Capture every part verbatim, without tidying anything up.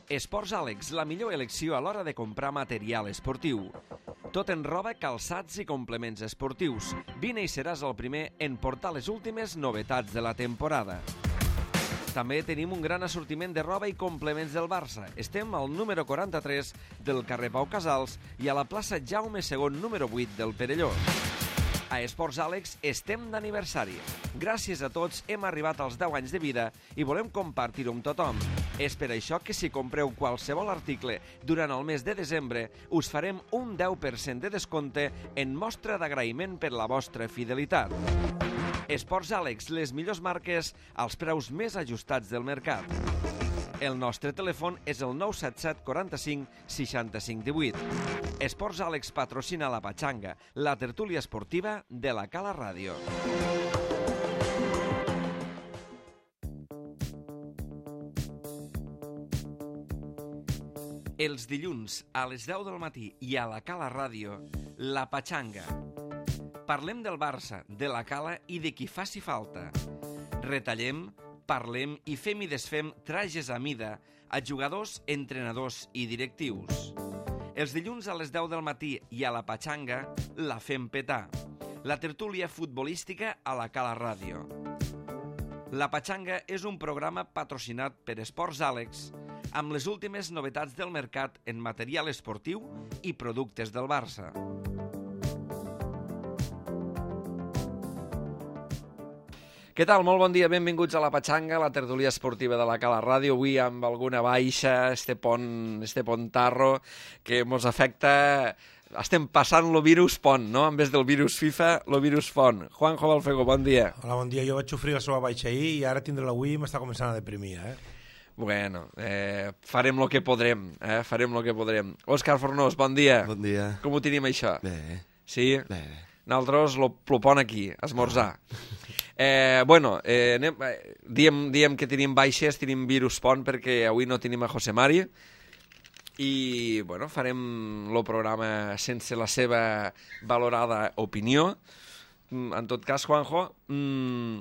Esports Àlex, la millor elecció a l'hora de comprar material esportiu. Tot en roba, calçats i complements esportius. Vine i seràs el primer en portar les últimes novetats de la temporada. També tenim un gran assortiment de roba i complements del Barça. Estem al número quaranta-tres del carrer Pau Casals i a la plaça Jaume segon, número vuit del Perelló. A Esports Àlex estem d'aniversari. Gràcies a tots hem arribat als deu anys de vida i volem compartir-ho amb tothom. És per això que si compreu qualsevol article durant el mes de desembre us farem un deu per cent de descompte en mostra d'agraïment per la vostra fidelitat. Esports Àlex, les millors marques als preus més ajustats del mercat. El nostre telèfon és el nou set set quaranta-cinc seixanta-cinc divuit. Esports Àlex patrocina la Patxanga, la tertúlia esportiva de la Cala Ràdio. Els dilluns a les deu del matí i a la Cala Ràdio, la Patxanga. Parlem del Barça, de la Cala i de qui faci falta. Retallem, parlem i fem i desfem trajes a mida a jugadors, entrenadors i directius. Els dilluns a les deu del matí i a la Patxanga la fem petar. La tertúlia futbolística a la Cala Ràdio. La Patxanga és un programa patrocinat per Esports Àlex amb les últimes novetats del mercat en material esportiu i productes del Barça. Què tal? Molt bon dia, benvinguts a la Patxanga, la tertúlia esportiva de la Cala Ràdio. Avui amb alguna baixa, este pont, este pontarro que mos afecta. Estem passant el virus pont, no? En vez del virus FIFA, el virus pont. Juanjo Balfego, bon dia. Hola, bon dia. Jo vaig sofrir la seva baixa ahir i ara tindre l'avui i m'està començant a deprimir, eh? Bueno, eh, farem el que podrem, eh? Farem el que podrem. Òscar Fornós, bon dia. Bon dia. Com ho tenim, això? Bé. Sí? Bé. Nosaltres lo, lo pon aquí, esmorzar. Eh, bueno, eh, anem, eh, diem, diem que tenim baixes, tenim virus pont perquè avui no tenim a José Mari i bueno, farem el programa sense la seva valorada opinió. En tot cas, Juanjo, mm,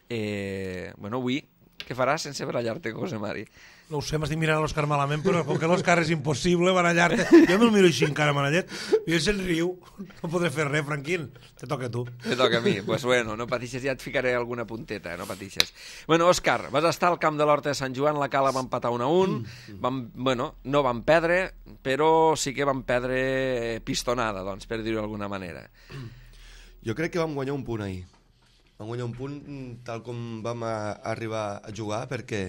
eh, bueno, avui què faràs sense barallar-te amb José Mari? No ho sé, m'estic mirant l'Òscar malament, però com que l'Òscar és impossible barallar-te, jo me'l miro així encara, manallet, i ell se'n riu, no podré fer res, Franquín, te toca a tu. Te toca a mi, doncs pues bueno, no patixes, ja et ficaré alguna punteta, no patixes. Bueno, Òscar, vas estar al camp de l'Horta de Sant Joan, la Cala va empatar un a un, vam, bueno, no van perdre, però sí que van perdre pistonada, doncs, per dir-ho d'alguna manera. Jo crec que vam guanyar un punt ahir. Vam guanyar un punt tal com vam a, a arribar a jugar, perquè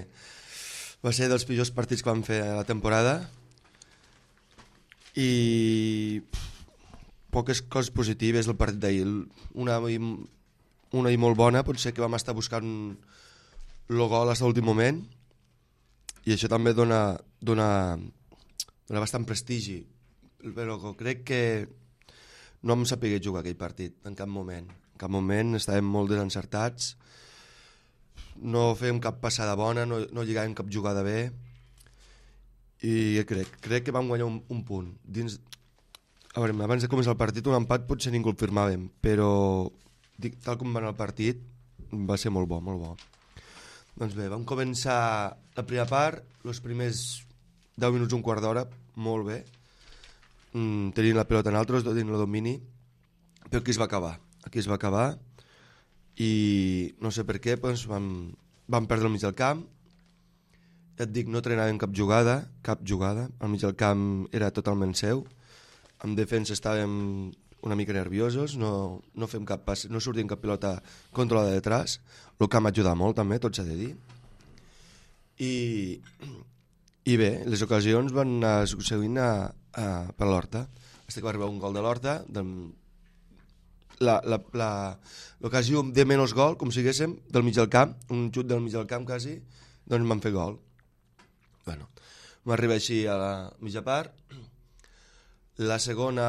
va ser dels pitjors partits que vam fer a la temporada i poques coses positives del partit d'ahir. Una, una i molt bona, potser que vam estar buscant el gol fins a l'últim moment i això també dona, dona, dona bastant prestigi, però crec que no hem sabut jugar aquell partit en cap moment. En cap moment estàvem molt desencertats, no fèiem cap passada bona, no, no lligàvem cap jugada bé i crec, crec que vam guanyar un, un punt. Dins, a veure, abans de començar el partit un empat potser ningú el firmàvem, però dic, tal com va anar el partit va ser molt bo, molt bo. Doncs bé, vam començar la primera part, els primers deu minuts, un quart d'hora, molt bé, mm, tenint la pilota en altres, tenint el domini, però aquí es va acabar. Aquí es va acabar i no sé per què doncs vam, vam perdre al mig del camp. Ja et dic, no trenàvem cap jugada, cap jugada, al mig del camp era totalment seu, en defensa estàvem una mica nerviosos, no, no, fem cap pas, no sortim cap pilota controlada de detrás, el camp ajuda molt també, tot s'ha de dir. I, i bé, les ocasions van anar succeint a, a, per l'Horta, fins que va arribar un gol de l'Horta, del l'ocasió de menys gol, com siguéssim, del mig del camp, un xut del mig del camp quasi, doncs m'han fet gol. Bueno, m'arriba així a la mitja part. La segona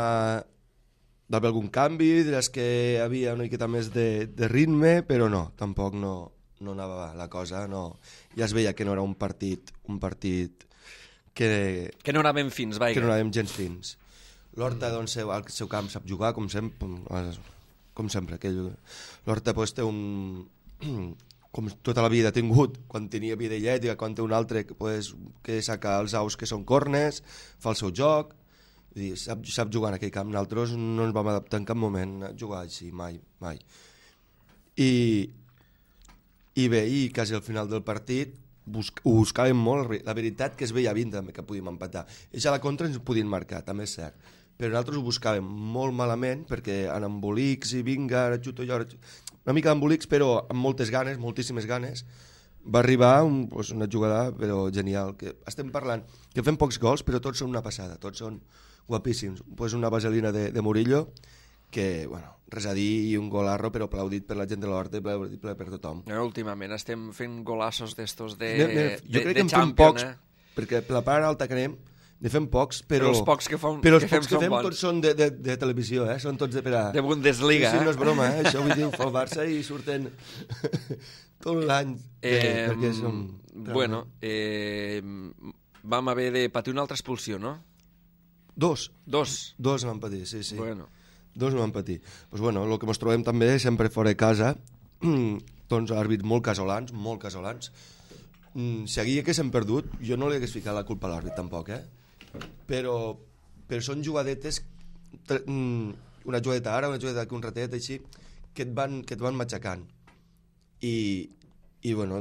va haver algun canvi, diràs que hi havia una miqueta més de, de ritme, però no, tampoc no, no anava la cosa, no. Ja es veia que no era un partit, un partit que... Que no anàvem fins, vaja. Que no anàvem gens fins. L'Horta, doncs, al seu camp sap jugar, com sempre, com sempre, que l'Horta pues, té un, com tota la vida ha tingut, quan tenia bidellet i quan té un altre que, pues, que saca els aus que són cornes, fa el seu joc, vull dir, sap, sap jugar en aquell camp. Nosaltres no ens vam adaptar en cap moment a jugar així, mai, mai. I, i bé, i quasi al final del partit busc, ho buscàvem molt, la veritat que es veia vint també que podíem empatar. Ells a la contra ens ho podien marcar, també és cert, però nosaltres ho buscàvem molt malament perquè en embolics i vinga, ara xuto jo, ara xuto... una mica d'embolics però amb moltes ganes, moltíssimes ganes, va arribar un, pues, una jugada però genial, que estem parlant que fem pocs gols però tots són una passada, tots són guapíssims, pues una vaselina de, de Murillo que, bueno, res a dir, i un golarro però aplaudit per la gent de l'Horta i aplaudit per tothom. Eh, últimament estem fent golassos d'estos de, ne, ne, jo de, crec de que en champion, fem pocs, eh? perquè per la part alta que anem ne fem pocs, però, però els pocs que, fem, però els que fem pocs que són fem bons. tots són de, de, de televisió, eh? Són tots de per a... De Bundesliga, sí, sí, eh? no és broma, eh? Això vull dir, ho fa el Barça i surten tot l'any. Eh, perquè som... Bueno, eh, vam haver de patir una altra expulsió, no? Dos. Dos. Dos vam patir, sí, sí. Bueno. Dos vam patir. Pues bueno, el que ens trobem també sempre fora de casa, doncs àrbits molt casolans, molt casolans. Si aquí haguéssim perdut, jo no li hagués ficat la culpa a l'àrbit tampoc, eh? Però, però són jugadetes, una jugadeta ara, una jugadeta aquí, un ratet així, que et van, que et van matxacant. I, i bueno,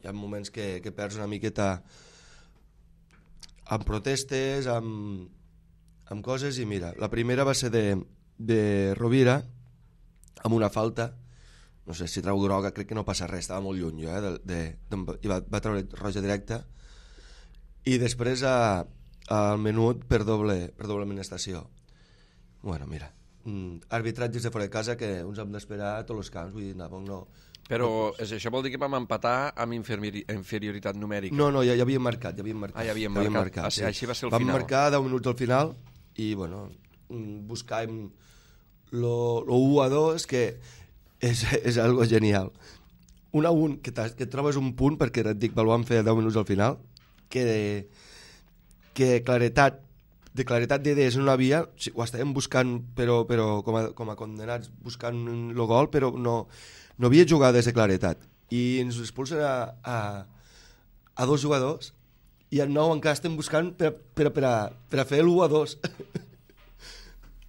hi ha moments que, que perds una miqueta amb protestes, amb, amb coses, i mira, la primera va ser de, de Rovira, amb una falta, no sé si trau groga, crec que no passa res, estava molt lluny jo, eh, de, de, de, i va, va treure roja directa, i després a, al menut per doble, per doble amonestació. Bueno, mira, arbitratges de fora de casa que uns hem d'esperar a tots els camps, vull dir, no, no. Però és, això vol dir que vam empatar amb inferioritat numèrica? No, no, ja, ja havíem marcat, ja havíem marcat. Ah, ja havíem ja marcat, marcat ah, sí. Així va ser el vam final. Vam marcar deu minuts al final i, bueno, buscàvem lo, lo u a dos, que és, és algo genial. un a un, que, que trobes un punt, perquè et dic, el vam fer deu minuts al final, que, que claretat, de claretat d'idees no havia, ho estàvem buscant, però, però com, a, com a condenats, buscant el gol, però no, no havia jugades de claretat. I ens expulsen a, a, a dos jugadors, i al nou encara estem buscant per, per, per, a, per a fer l'u a dos.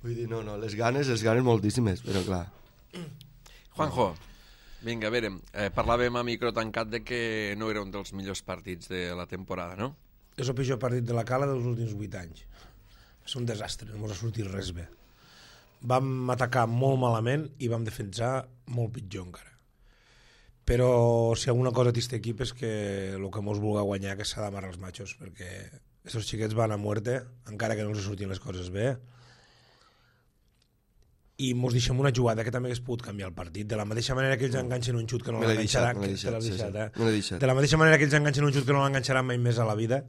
Vull dir, no, no, les ganes, les ganes moltíssimes, però clar. Juanjo, vinga, a veure, eh, parlàvem a micro tancat de que no era un dels millors partits de la temporada, no? És el pitjor partit de la Cala dels últims vuit anys. És un desastre, no ens ha sortit res bé. Vam atacar molt malament i vam defensar molt pitjor encara. Però si alguna cosa té aquest equip és que el que mos vulga guanyar que s'ha d'amarrar els machos, perquè aquests xiquets van a muerte, encara que no els sortien les coses bé, i mos deixem una jugada que també hagués pogut canviar el partit, de la mateixa manera que ells enganxen un xut que no l'enganxaran, de la mateixa manera que ells enganxen un xut que no l'enganxaran mai més a la vida.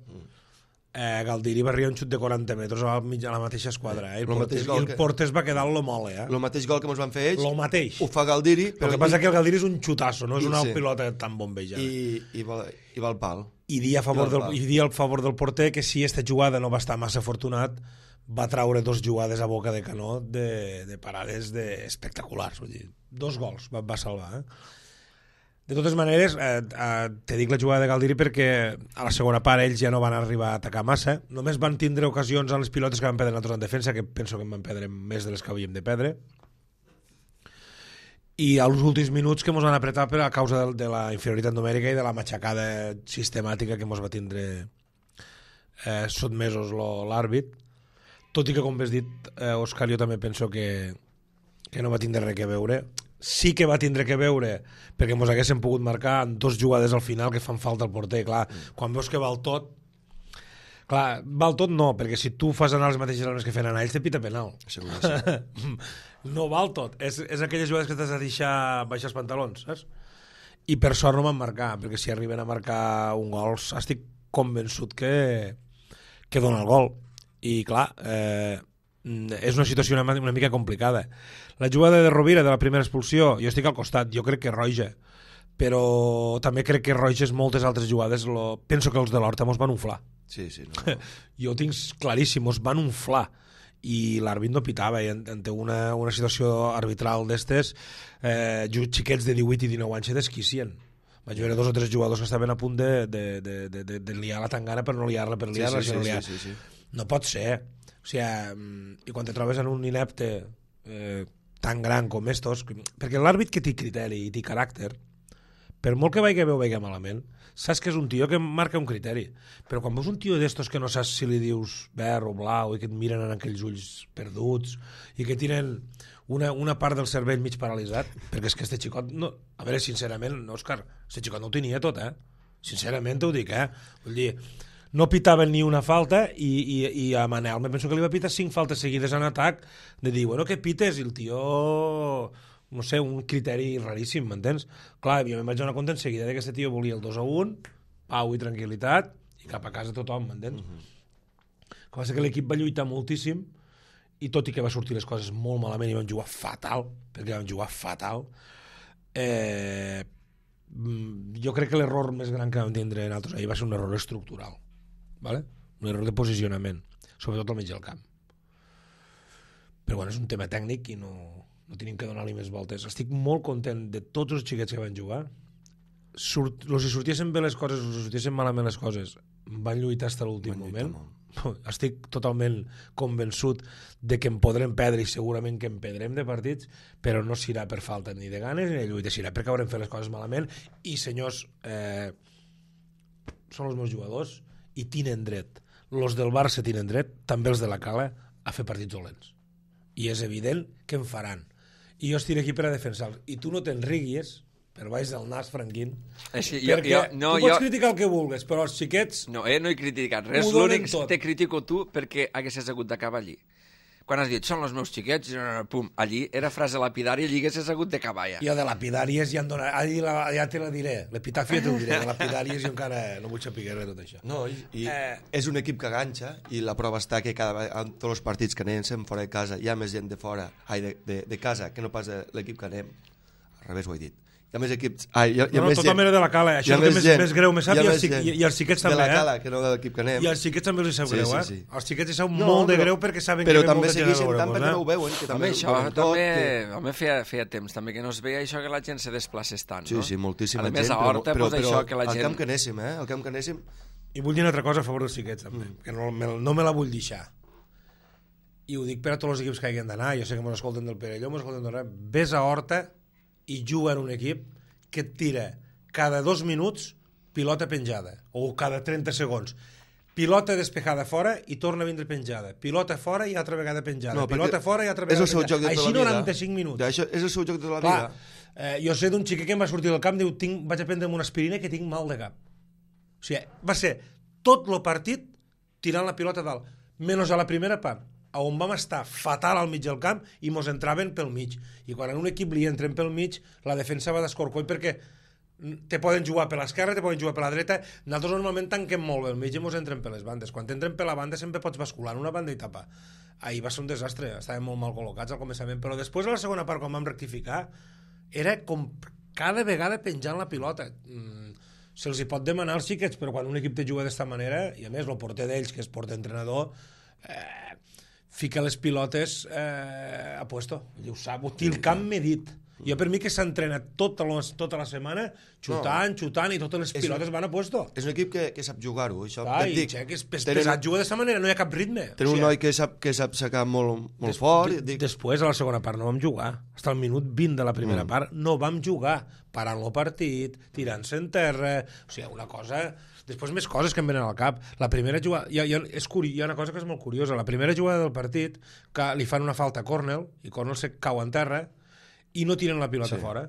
Eh, Galdiri va arribar un xut de quaranta metres a la, a la mateixa esquadra, eh? I el, Portes, i el que... Portes va quedar lo mole, eh? El mateix gol que ens van fer ells, lo mateix. Ho fa Galdiri, però el que passa és que el Galdiri és un xutasso, no és una sí. pilota tan bombejada. I, i, va, i va al pal. I dir a favor, del, i dir al favor del porter que si aquesta jugada no va estar massa afortunat, va traure dos jugades a boca de canó de, de parades de espectaculars, vull dir, dos gols va, va salvar, eh? De totes maneres, eh, eh, te dic la jugada de Galdiri perquè a la segona part ells ja no van arribar a atacar massa, només van tindre ocasions a les pilotes que van perdre nosaltres en defensa, que penso que en van perdre més de les que havíem de perdre, i als últims minuts que ens van apretar per a causa de, de la inferioritat numèrica i de la matxacada sistemàtica que ens va tindre eh, sotmesos l'àrbit, tot i que, com has dit, eh, Òscar, jo també penso que, que no va tindre res a veure. Sí que va tindre que veure perquè ens haguéssim pogut marcar en dos jugades al final que fan falta al porter, clar, mm. quan veus que val tot, clar, val tot no, perquè si tu fas anar les mateixes armes que feien anar ells te pita penal. Segur que sí. No val tot, és, és aquelles jugades que t'has de deixar baixar els pantalons, saps? I per sort no van marcar, perquè si arriben a marcar un gol estic convençut que que dona el gol, i clar, eh, és una situació una, una mica complicada. La jugada de Rovira de la primera expulsió, jo estic al costat, jo crec que roja, però també crec que roges moltes altres jugades, lo... penso que els de l'Horta mos van unflar. Sí, sí, no. Jo ho tinc claríssim, mos van unflar i l'àrbit no pitava i en, en té una, una situació arbitral d'estes, eh, xiquets de divuit i dinou anys se desquicien. Vaig veure dos o tres jugadors que estaven a punt de, de, de, de, de, de liar la tangana per no liar-la per liar-la. Sí, sí, si no, sí, liar... sí, sí, sí. no pot ser. O sigui, i quan te trobes en un inepte eh, tan gran com estos, perquè l'àrbit que té criteri i té caràcter, per molt que vagi bé o vagi malament, saps que és un tio que marca un criteri. Però quan veus un tio d'estos que no saps si li dius verd o blau i que et miren en aquells ulls perduts i que tenen una, una part del cervell mig paralitzat, perquè és que este xicot, no, a veure, sincerament, Òscar, este xicot no ho tenia tot, eh? Sincerament t'ho dic, eh? Vull dir, no pitaven ni una falta i, i, i a Manel me penso que li va pitar cinc faltes seguides en atac de dir, bueno, que pites? I el tio, no sé, un criteri raríssim, m'entens? Clar, jo me'n vaig donar compte en seguida que aquest tio volia el dos a un, pau i tranquil·litat, i cap a casa tothom, m'entens? Mm-hmm. El que passa que l'equip va lluitar moltíssim, i tot i que va sortir les coses molt malament i van jugar fatal, perquè van jugar fatal, eh, jo crec que l'error més gran que vam tindre nosaltres ahir va ser un error estructural, ¿vale? Un error de posicionament, sobretot al mig del camp. Però bueno, és un tema tècnic i no, no tenim que donar-li més voltes. Estic molt content de tots els xiquets que van jugar. Surt, los si sortiessin bé les coses, los si sortiessin malament les coses, van lluitar fins a l'últim moment. Molt. Estic totalment convençut de que en podrem perdre i segurament que en perdrem de partits, però no serà per falta ni de ganes ni de lluita, serà perquè haurem fet les coses malament i senyors, eh, són els meus jugadors i tenen dret, els del Barça tenen dret, també els de la Cala, a fer partits dolents i és evident que en faran i jo estic aquí per a defensar-los i tu no te'n riguis per baix del nas, Franquín, sí, jo, perquè jo, no, tu pots jo... criticar el que vulguis, però els xiquets no, eh, no he criticat res, l'únic que te critico tu perquè haguessis hagut d'acabar allí. Quan has dit, són els meus xiquets, pum, allí era frase lapidària, allí haguessis hagut d'acabar ja. Jo de lapidàries ja, dona, ja te la diré, l'epitàfia te ho diré, de lapidàries jo encara no vull saber res de tot això. No, i, i eh... és un equip que ganxa i la prova està que cada vegada, en tots els partits que anem fora de casa hi ha més gent de fora, ai, de, de, de casa que no pas de l'equip que anem, al revés ho he dit. Hi ha més equips... Ah, hi ha, hi ha no, més tota mena de la Cala, això és el que més, més greu me sap, i els, i, i els xiquets també, eh? De la Cala, que no de l'equip que anem. I els xiquets també els sap sí, greu, eh? Sí, sí. Els xiquets els sap no, molt de greu perquè saben però que ve molta gent a veure-nos, eh? Però també segueixen tant perquè no ho veuen, que també home, això, ho també, que... home, feia, feia temps també que no es veia això que la gent se desplacés tant, sí, no? Sí, sí, moltíssima a gent, més, a Horta, però, pues, però, això que la al gent... camp que anéssim, eh? Al camp que anéssim... I vull dir una altra cosa a favor dels xiquets, també, mm. que no me, no me la vull deixar. I ho dic per a tots els equips que hagin d'anar, jo sé que mos escolten del Perelló, mos escolten del res, ves a Horta i juga en un equip que et tira cada dos minuts pilota penjada, o cada trenta segons. Pilota despejada fora i torna a vindre penjada. Pilota fora i altra vegada penjada. No, pilota fora i altra vegada és el seu penjada. Joc de Així tota noranta-cinc minuts. Ja, això és el seu joc de la Clar, vida. Eh, jo sé d'un xiquet que em va sortir del camp i diu, tinc, vaig a prendre'm una aspirina que tinc mal de cap. O sigui, va ser tot el partit tirant la pilota dalt, menys a la primera part, on vam estar fatal al mig del camp i mos entraven pel mig. I quan en un equip li entren pel mig, la defensa va d'escorcoll perquè te poden jugar per l'esquerra, te poden jugar per la dreta. Nosaltres normalment tanquem molt bé el mig i mos entren per les bandes. Quan t'entren per la banda sempre pots bascular en una banda i tapar. Ahir va ser un desastre, estàvem molt mal col·locats al començament, però després a la segona part, quan vam rectificar, era com cada vegada penjant la pilota. Mm, se'ls hi pot demanar als xiquets, però quan un equip te juga d'esta manera, i a més el porter d'ells, que és porter-entrenador, eh, fica les pilotes eh, a puesto. Ell ho sap, ho té el camp medit. Jo per mi que s'entrena tota, tota la setmana xutant, no. xutant i totes les és pilotes un, van a puesto. És un equip que, que sap jugar-ho. Clar, i dic, que és pesat jugar d'aquesta manera, no hi ha cap ritme. Tenen o sigui, un noi que sap, que sap sacar molt, molt des, fort. De, dic... Després, a la segona part, no vam jugar. Fins al minut vint de la primera mm. part no vam jugar. Parant el partit, tirant-se en terra... O sigui, una cosa... Després més coses que em venen al cap. La primera jugada... Hi ha, hi ha, és curi... hi ha una cosa que és molt curiosa. La primera jugada del partit, que li fan una falta a Cornell, i Cornell se cau en terra, i no tiren la pilota sí. fora,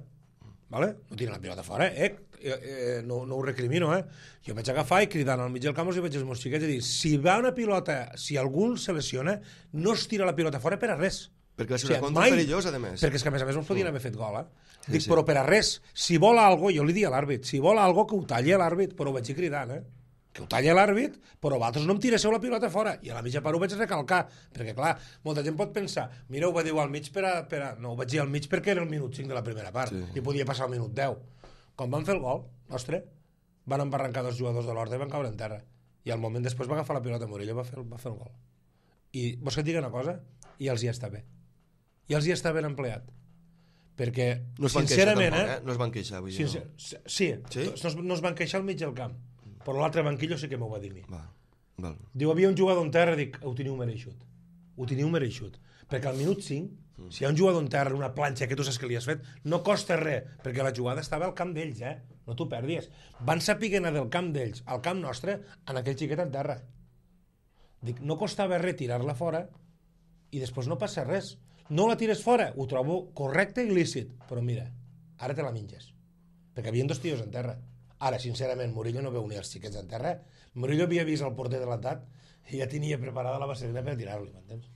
vale? No tiren la pilota fora, eh? eh, eh no, no ho recrimino, eh? Jo vaig agafar i cridant al mig del camp i vaig als meus xiquets i dir, si va una pilota, si algú se lesiona, no es tira la pilota fora per a res. Perquè va ser una o sigui, contra perillosa, a més. Perquè és que a més a més ens podien haver fet gol, eh? Sí, Dic, sí. però per a res, si vol algo, jo li dic a l'àrbit, si vol algo que ho talli a l'àrbit, però ho vaig dir cridant, eh? Que ho talli l'àrbit, però vosaltres no em tiresseu la pilota fora. I a la mitja part ho vaig recalcar, perquè clar, molta gent pot pensar, mira, ho va dir al mig per a... Per a... No, ho vaig dir al mig perquè era el minut cinc de la primera part, sí. i podia passar el minut deu. Quan van fer el gol, nostre, van embarrancar dos jugadors de l'Horta i van caure en terra. I al moment després va agafar la pilota Murillo i va fer, va fer el gol. I vols que et digui una cosa? I els hi està bé. I els hi està ben empleat. perquè, no es van sincerament... queixar, tampoc, eh? No es van queixar, vull dir, sincer... no. Sí, sí? No, no es van queixar al mig del camp, però l'altre banquillo sí que m'ho va dir a mi. Va, val. Diu, havia un jugador en terra, dic, ho teniu mereixut. Ho teniu mereixut. Perquè al minut cinc, mm. si hi ha un jugador en terra, una planxa que tu saps que li has fet, no costa res, perquè la jugada estava al camp d'ells, eh? No t'ho perdis. Van saber anar del camp d'ells al camp nostre en aquell xiquet en terra. Dic, no costava res tirar-la fora i després no passa res. No la tires fora, ho trobo correcte i lícit, però mira, ara te la menges. Perquè havien dos tios en terra. Ara, sincerament, Murillo no veu ni els xiquets en terra. Murillo havia vist el porter delantat i ja tenia preparada la vaselina per tirar-li, m'entens?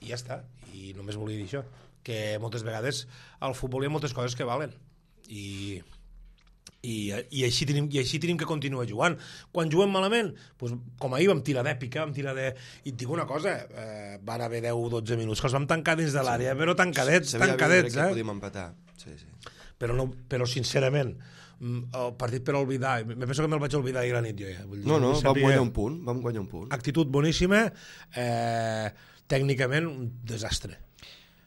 I ja està. I només volia dir això, que moltes vegades al futbol hi ha moltes coses que valen. I... I, i, així tenim, i així tenim que continuar jugant. Quan juguem malament, doncs, com ahir vam tirar d'èpica, vam tirar de... I et dic una cosa, eh, van haver deu o dotze minuts que els vam tancar dins de l'àrea, sí. Però tancadets, tancadets, eh? Podíem empatar, sí, sí. Però, no, però sincerament, el partit per oblidar, me penso que me'l vaig oblidar ahir la nit jo ja. Vull dir, no, no, vam sabia... guanyar un punt, vam guanyar un punt. Actitud boníssima, eh, tècnicament un desastre.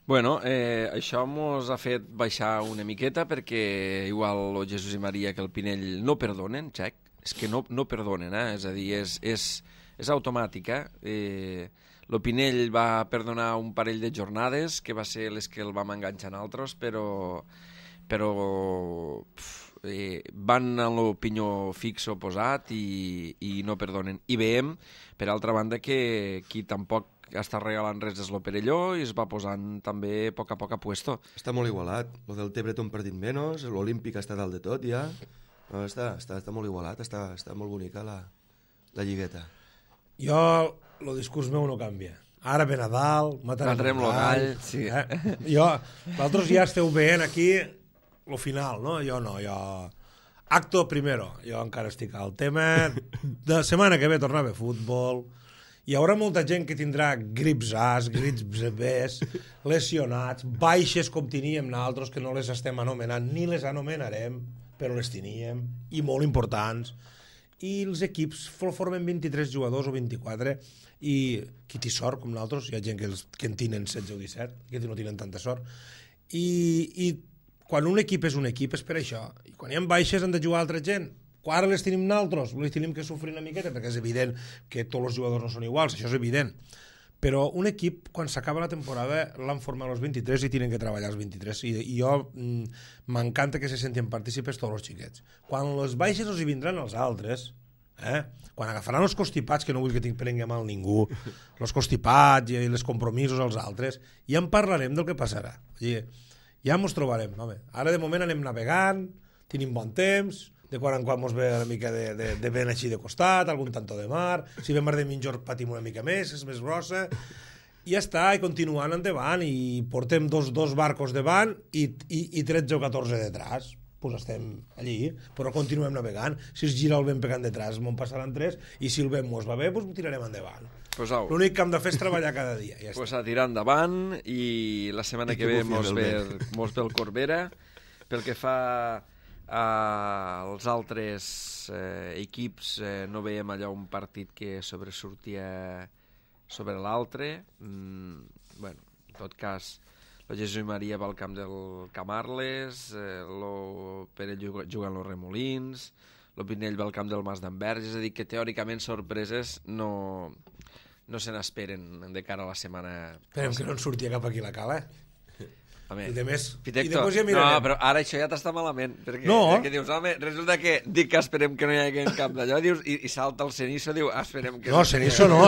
Bueno, eh, això mos ha fet baixar una miqueta perquè igual el Jesús i Maria que el Pinell no perdonen, xec, és que no, no perdonen, eh? És a dir, és, és, és automàtica. Eh, el Pinell va perdonar un parell de jornades, que va ser les que el vam enganxar en altres, però, però pf, eh, van en l'opinió fix oposat i, i no perdonen. I veiem, per altra banda, que qui tampoc està regalant res és lo Perelló i es va posant també a poc a poc a puesto. Està molt igualat. Lo del Tebre té un partit menys, l'Olímpic està dalt de tot ja. No, està, està, està molt igualat, està, està molt bonica la, la lligueta. Jo, el discurs meu no canvia. Ara ve Nadal, matarem, matarem el gall. Sí. Eh? Jo, vosaltres ja esteu veient aquí lo final, no? Jo no, jo... Acto primero. Jo encara estic al tema. De setmana que ve tornar a haver futbol. Hi haurà molta gent que tindrà grips A's, grips B's, lesionats, baixes com teníem nosaltres, que no les estem anomenant, ni les anomenarem, però les teníem, i molt importants. I els equips formen vint-i-tres jugadors o vint-i-quatre, i qui té sort, com nosaltres, hi ha gent que, els, que en tenen setze o disset, que no tenen tanta sort. I, i quan un equip és un equip és per això. I quan hi ha baixes han de jugar altra gent. Quan ara les tenim nosaltres, les tenim que sofrir una miqueta, perquè és evident que tots els jugadors no són iguals, això és evident. Però un equip, quan s'acaba la temporada, l'han format els vint-i-tres i tenen que treballar els vint-i-tres. I, i jo m'encanta que se sentin partícipes tots els xiquets. Quan les baixes els hi vindran els altres, eh? Quan agafaran els constipats, que no vull que tinc prengui mal ningú, els constipats i els compromisos als altres, ja en parlarem del que passarà. I ja ens trobarem. Home. Ara de moment anem navegant, tenim bon temps, de quan en quan ens ve una mica de, de, de vent així de costat, algun tanto de mar, si ve mar de mitjor patim una mica més, és més grossa, i ja està, i continuant endavant, i portem dos, dos barcos davant i, i, i tretze o catorze detrás, pues estem allí, però continuem navegant. Si es gira el vent pegant detrás, me'n passaran tres, i si el vent mos va bé, pues ho tirarem endavant. Pues l'únic que hem de fer és treballar cada dia. Ja pues a tirar endavant, i la setmana I que ve mos ve, mos ve el Corbera, pel que fa als uh, altres uh, equips uh, no veiem allò un partit que sobresortia sobre l'altre. Mm, bueno, en tot cas, el Jesús i Maria va al camp del Camarles, eh, el Pere juga en los Remolins, el Pinell va al camp del Mas d'Anvers, és a dir, que teòricament sorpreses no, no se n'esperen de cara a la setmana. Esperem que no en surti cap aquí la cala, eh? Home, I de més, Pitecto, i després ja mirarem. No, però ara això ja t'està malament, perquè, no. perquè dius, home, resulta que dic que esperem que no hi hagi cap d'allò, dius, i, i salta el Cenizo, diu, ah, esperem que... No, Cenizo no,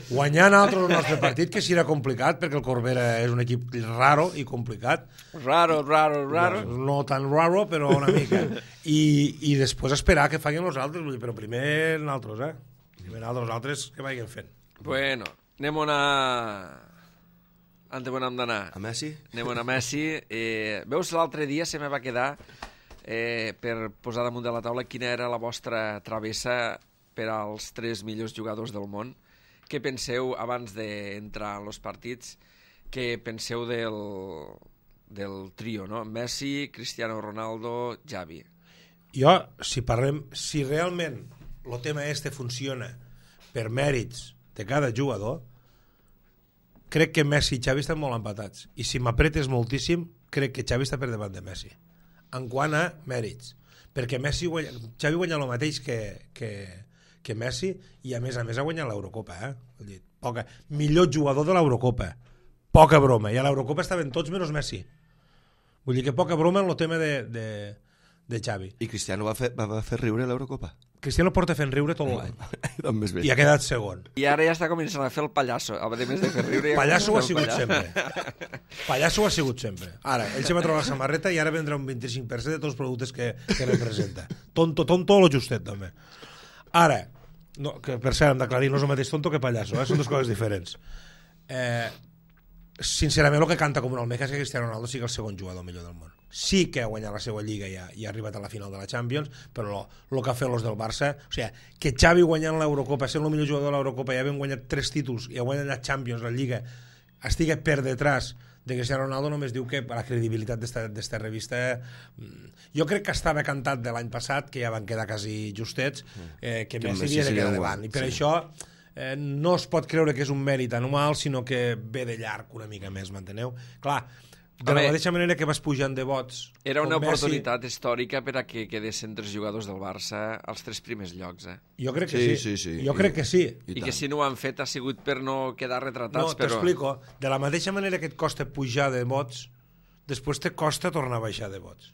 guanyar nosaltres el nostre partit, que serà complicat, perquè el Corbera és un equip raro i complicat. Raro, raro, raro. No, no tan raro, però una mica. I, i després esperar que facin els altres, però primer nosaltres, eh? Primer nosaltres, altres que vagin fent. Bueno, anem a... Ante on hem d'anar? A Messi? Anem a Messi. Eh, veus, l'altre dia se me va quedar eh, per posar damunt de la taula quina era la vostra travessa per als tres millors jugadors del món. Què penseu, abans d'entrar en els partits, què penseu del, del trio, no? Messi, Cristiano Ronaldo, Xavi. Jo, si parlem, si realment el tema este funciona per mèrits de cada jugador, crec que Messi i Xavi estan molt empatats. I si m'apretes moltíssim, crec que Xavi està per davant de Messi. En quant a mèrits. Perquè Messi guanya, Xavi guanya el mateix que, que, que Messi i a més a més ha guanyat l'Eurocopa. Eh? Vull dir, poca. Millor jugador de l'Eurocopa. Poca broma. I a l'Eurocopa estaven tots menys Messi. Vull dir que poca broma en el tema de, de, de Xavi. I Cristiano va fer, va, va fer riure l'Eurocopa. Cristiano porta fent riure tot l'any. doncs I ha quedat segon. I ara ja està començant a fer el pallasso. A més de fer riure... Pallasso ho ha sigut sempre. Pallasso ho ha sigut sempre. Ara, ell se va trobar la samarreta i ara vendrà un vint-i-cinc per cent de tots els productes que, que representa. Tonto, tonto o lo justet, també. Ara, no, que per cert, hem d'aclarir, no és el mateix tonto que pallasso, eh? Són dues coses diferents. Eh, sincerament, el que canta com un almeja és que Cristiano Ronaldo sigui el segon jugador millor del món. Sí que ha guanyat la seva lliga i ha, i ha arribat a la final de la Champions, però el que ha fet els del Barça, o sigui, que Xavi guanyant l'Eurocopa, sent el millor jugador de l'Eurocopa i havent guanyat tres títols i ha guanyat la Champions, la Lliga, estigui per detrás de Cristiano Ronaldo, només diu que la credibilitat d'esta revista, jo crec que estava cantat de l'any passat, que ja van quedar quasi justets, eh, que, que Messi havia de quedar davant, i per sí. això eh, no es pot creure que és un mèrit anual, sinó que ve de llarg una mica més, m'enteneu? Clar, de la mateixa manera que vas pujant de vots... Era una Messi... oportunitat històrica per a que quedessin tres jugadors del Barça als tres primers llocs, eh? Jo crec que sí, sí, sí, sí. jo crec que sí. I, I que si no ho han fet ha sigut per no quedar retratats, no, però... No, t'explico. De la mateixa manera que et costa pujar de vots, després te costa tornar a baixar de vots.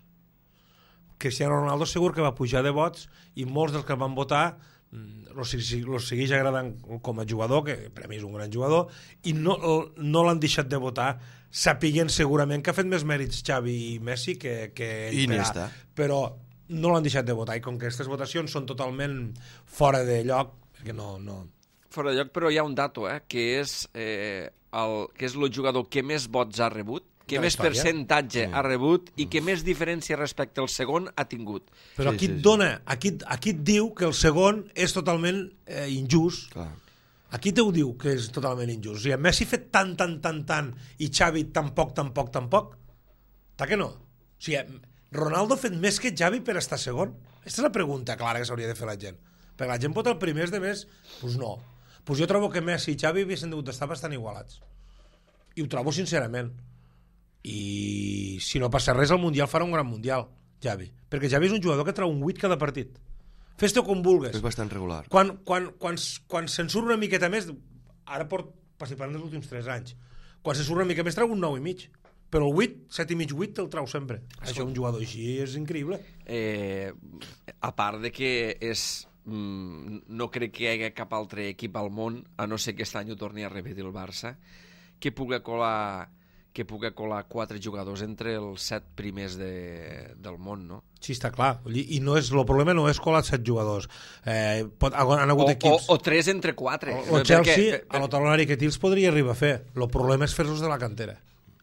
Cristiano Ronaldo segur que va pujar de vots i molts dels que van votar los, los segueix agradant com a jugador, que per a mi és un gran jugador, i no, no l'han deixat de votar sapiguent segurament que ha fet més mèrits Xavi i Messi que, que I Iniesta, però no l'han deixat de votar, i com que aquestes votacions són totalment fora de lloc, perquè no... no... Fora de lloc, però hi ha un dato, eh, que és eh, el que és el jugador que més vots ha rebut, que més percentatge mm. ha rebut i que més diferència respecte al segon ha tingut. Però sí, aquí sí, et dona, aquí, aquí et diu que el segon és totalment eh, injust. Clar. Aquí te ho diu que és totalment injust. O sigui, Messi ha fet tant, tant, tant, tant i Xavi tan poc, tan poc, tan poc. Ta que no? O sigui, Ronaldo ha fet més que Xavi per estar segon? Aquesta és la pregunta clara que s'hauria de fer la gent. Perquè la gent pot el primers de més? Doncs pues no. Pues jo trobo que Messi i Xavi haguessin degut estar bastant igualats. I ho trobo sincerament. I si no passa res el Mundial farà un gran Mundial, Xavi, perquè Xavi és un jugador que trau un vuit cada partit, fes-te com vulgues, és bastant regular. Quan, quan, quan, quan se'n surt una miqueta més, ara port participant dels últims tres anys, quan se'n surt una mica més trau un nou i mig, però el vuit, set i mig, vuit te'l trau sempre. Escolta. Això un jugador així és increïble. Eh, a part de que és mm, no crec que hi hagi cap altre equip al món, a no ser que aquest any ho torni a repetir el Barça, que pugui colar que pugui colar quatre jugadors entre els set primers de, del món, no? Sí, està clar. I no és, el problema no és colar set jugadors. Eh, pot, han hagut o, equips... O, o tres entre quatre. O, o Chelsea, perquè, a lo talonari que tils podria arribar a fer. El problema és fer-los de la cantera.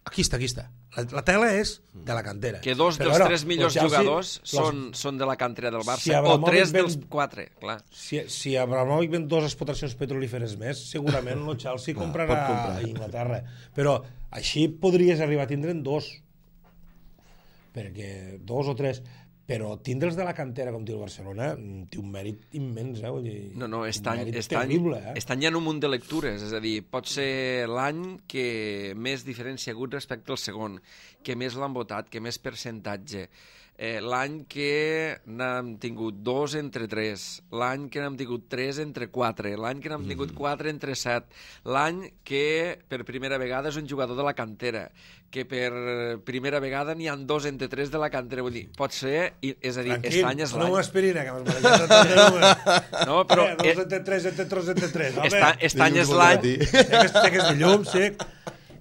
Aquí està, aquí està. La, la tela és de la cantera. Que dos Però, dels bueno, tres millors Chelsea, jugadors los... són, són de la cantera del Barça, si o tres ven... dels quatre, clar. Si, si Abramovic ven dues explotacions petrolíferes més, segurament el Chelsea no, comprarà a Inglaterra. Però així podries arribar a tindre'n dos. Perquè dos o tres... Però tindre'ls de la cantera com té el Barcelona té un mèrit immens, eh? Vull dir, no, no, estan, estan, terrible, eh? estan ja en un munt de lectures, és a dir, pot ser l'any que més diferència ha hagut respecte al segon, que més l'han votat, que més percentatge, eh, l'any que n'hem tingut dos entre tres, l'any que n'hem tingut tres entre quatre, l'any que n'hem tingut quatre entre set, l'any que per primera vegada és un jugador de la cantera, que per primera vegada n'hi ha dos entre tres de la cantera, vull dir, pot ser, és a dir, Tranquil, estany és l'any. no m'aspirina, que m'has barrejat. No, però... Eh, dos entre tres, entre tres, entre tres. Estany és l'any... Sé que és de llum, sí.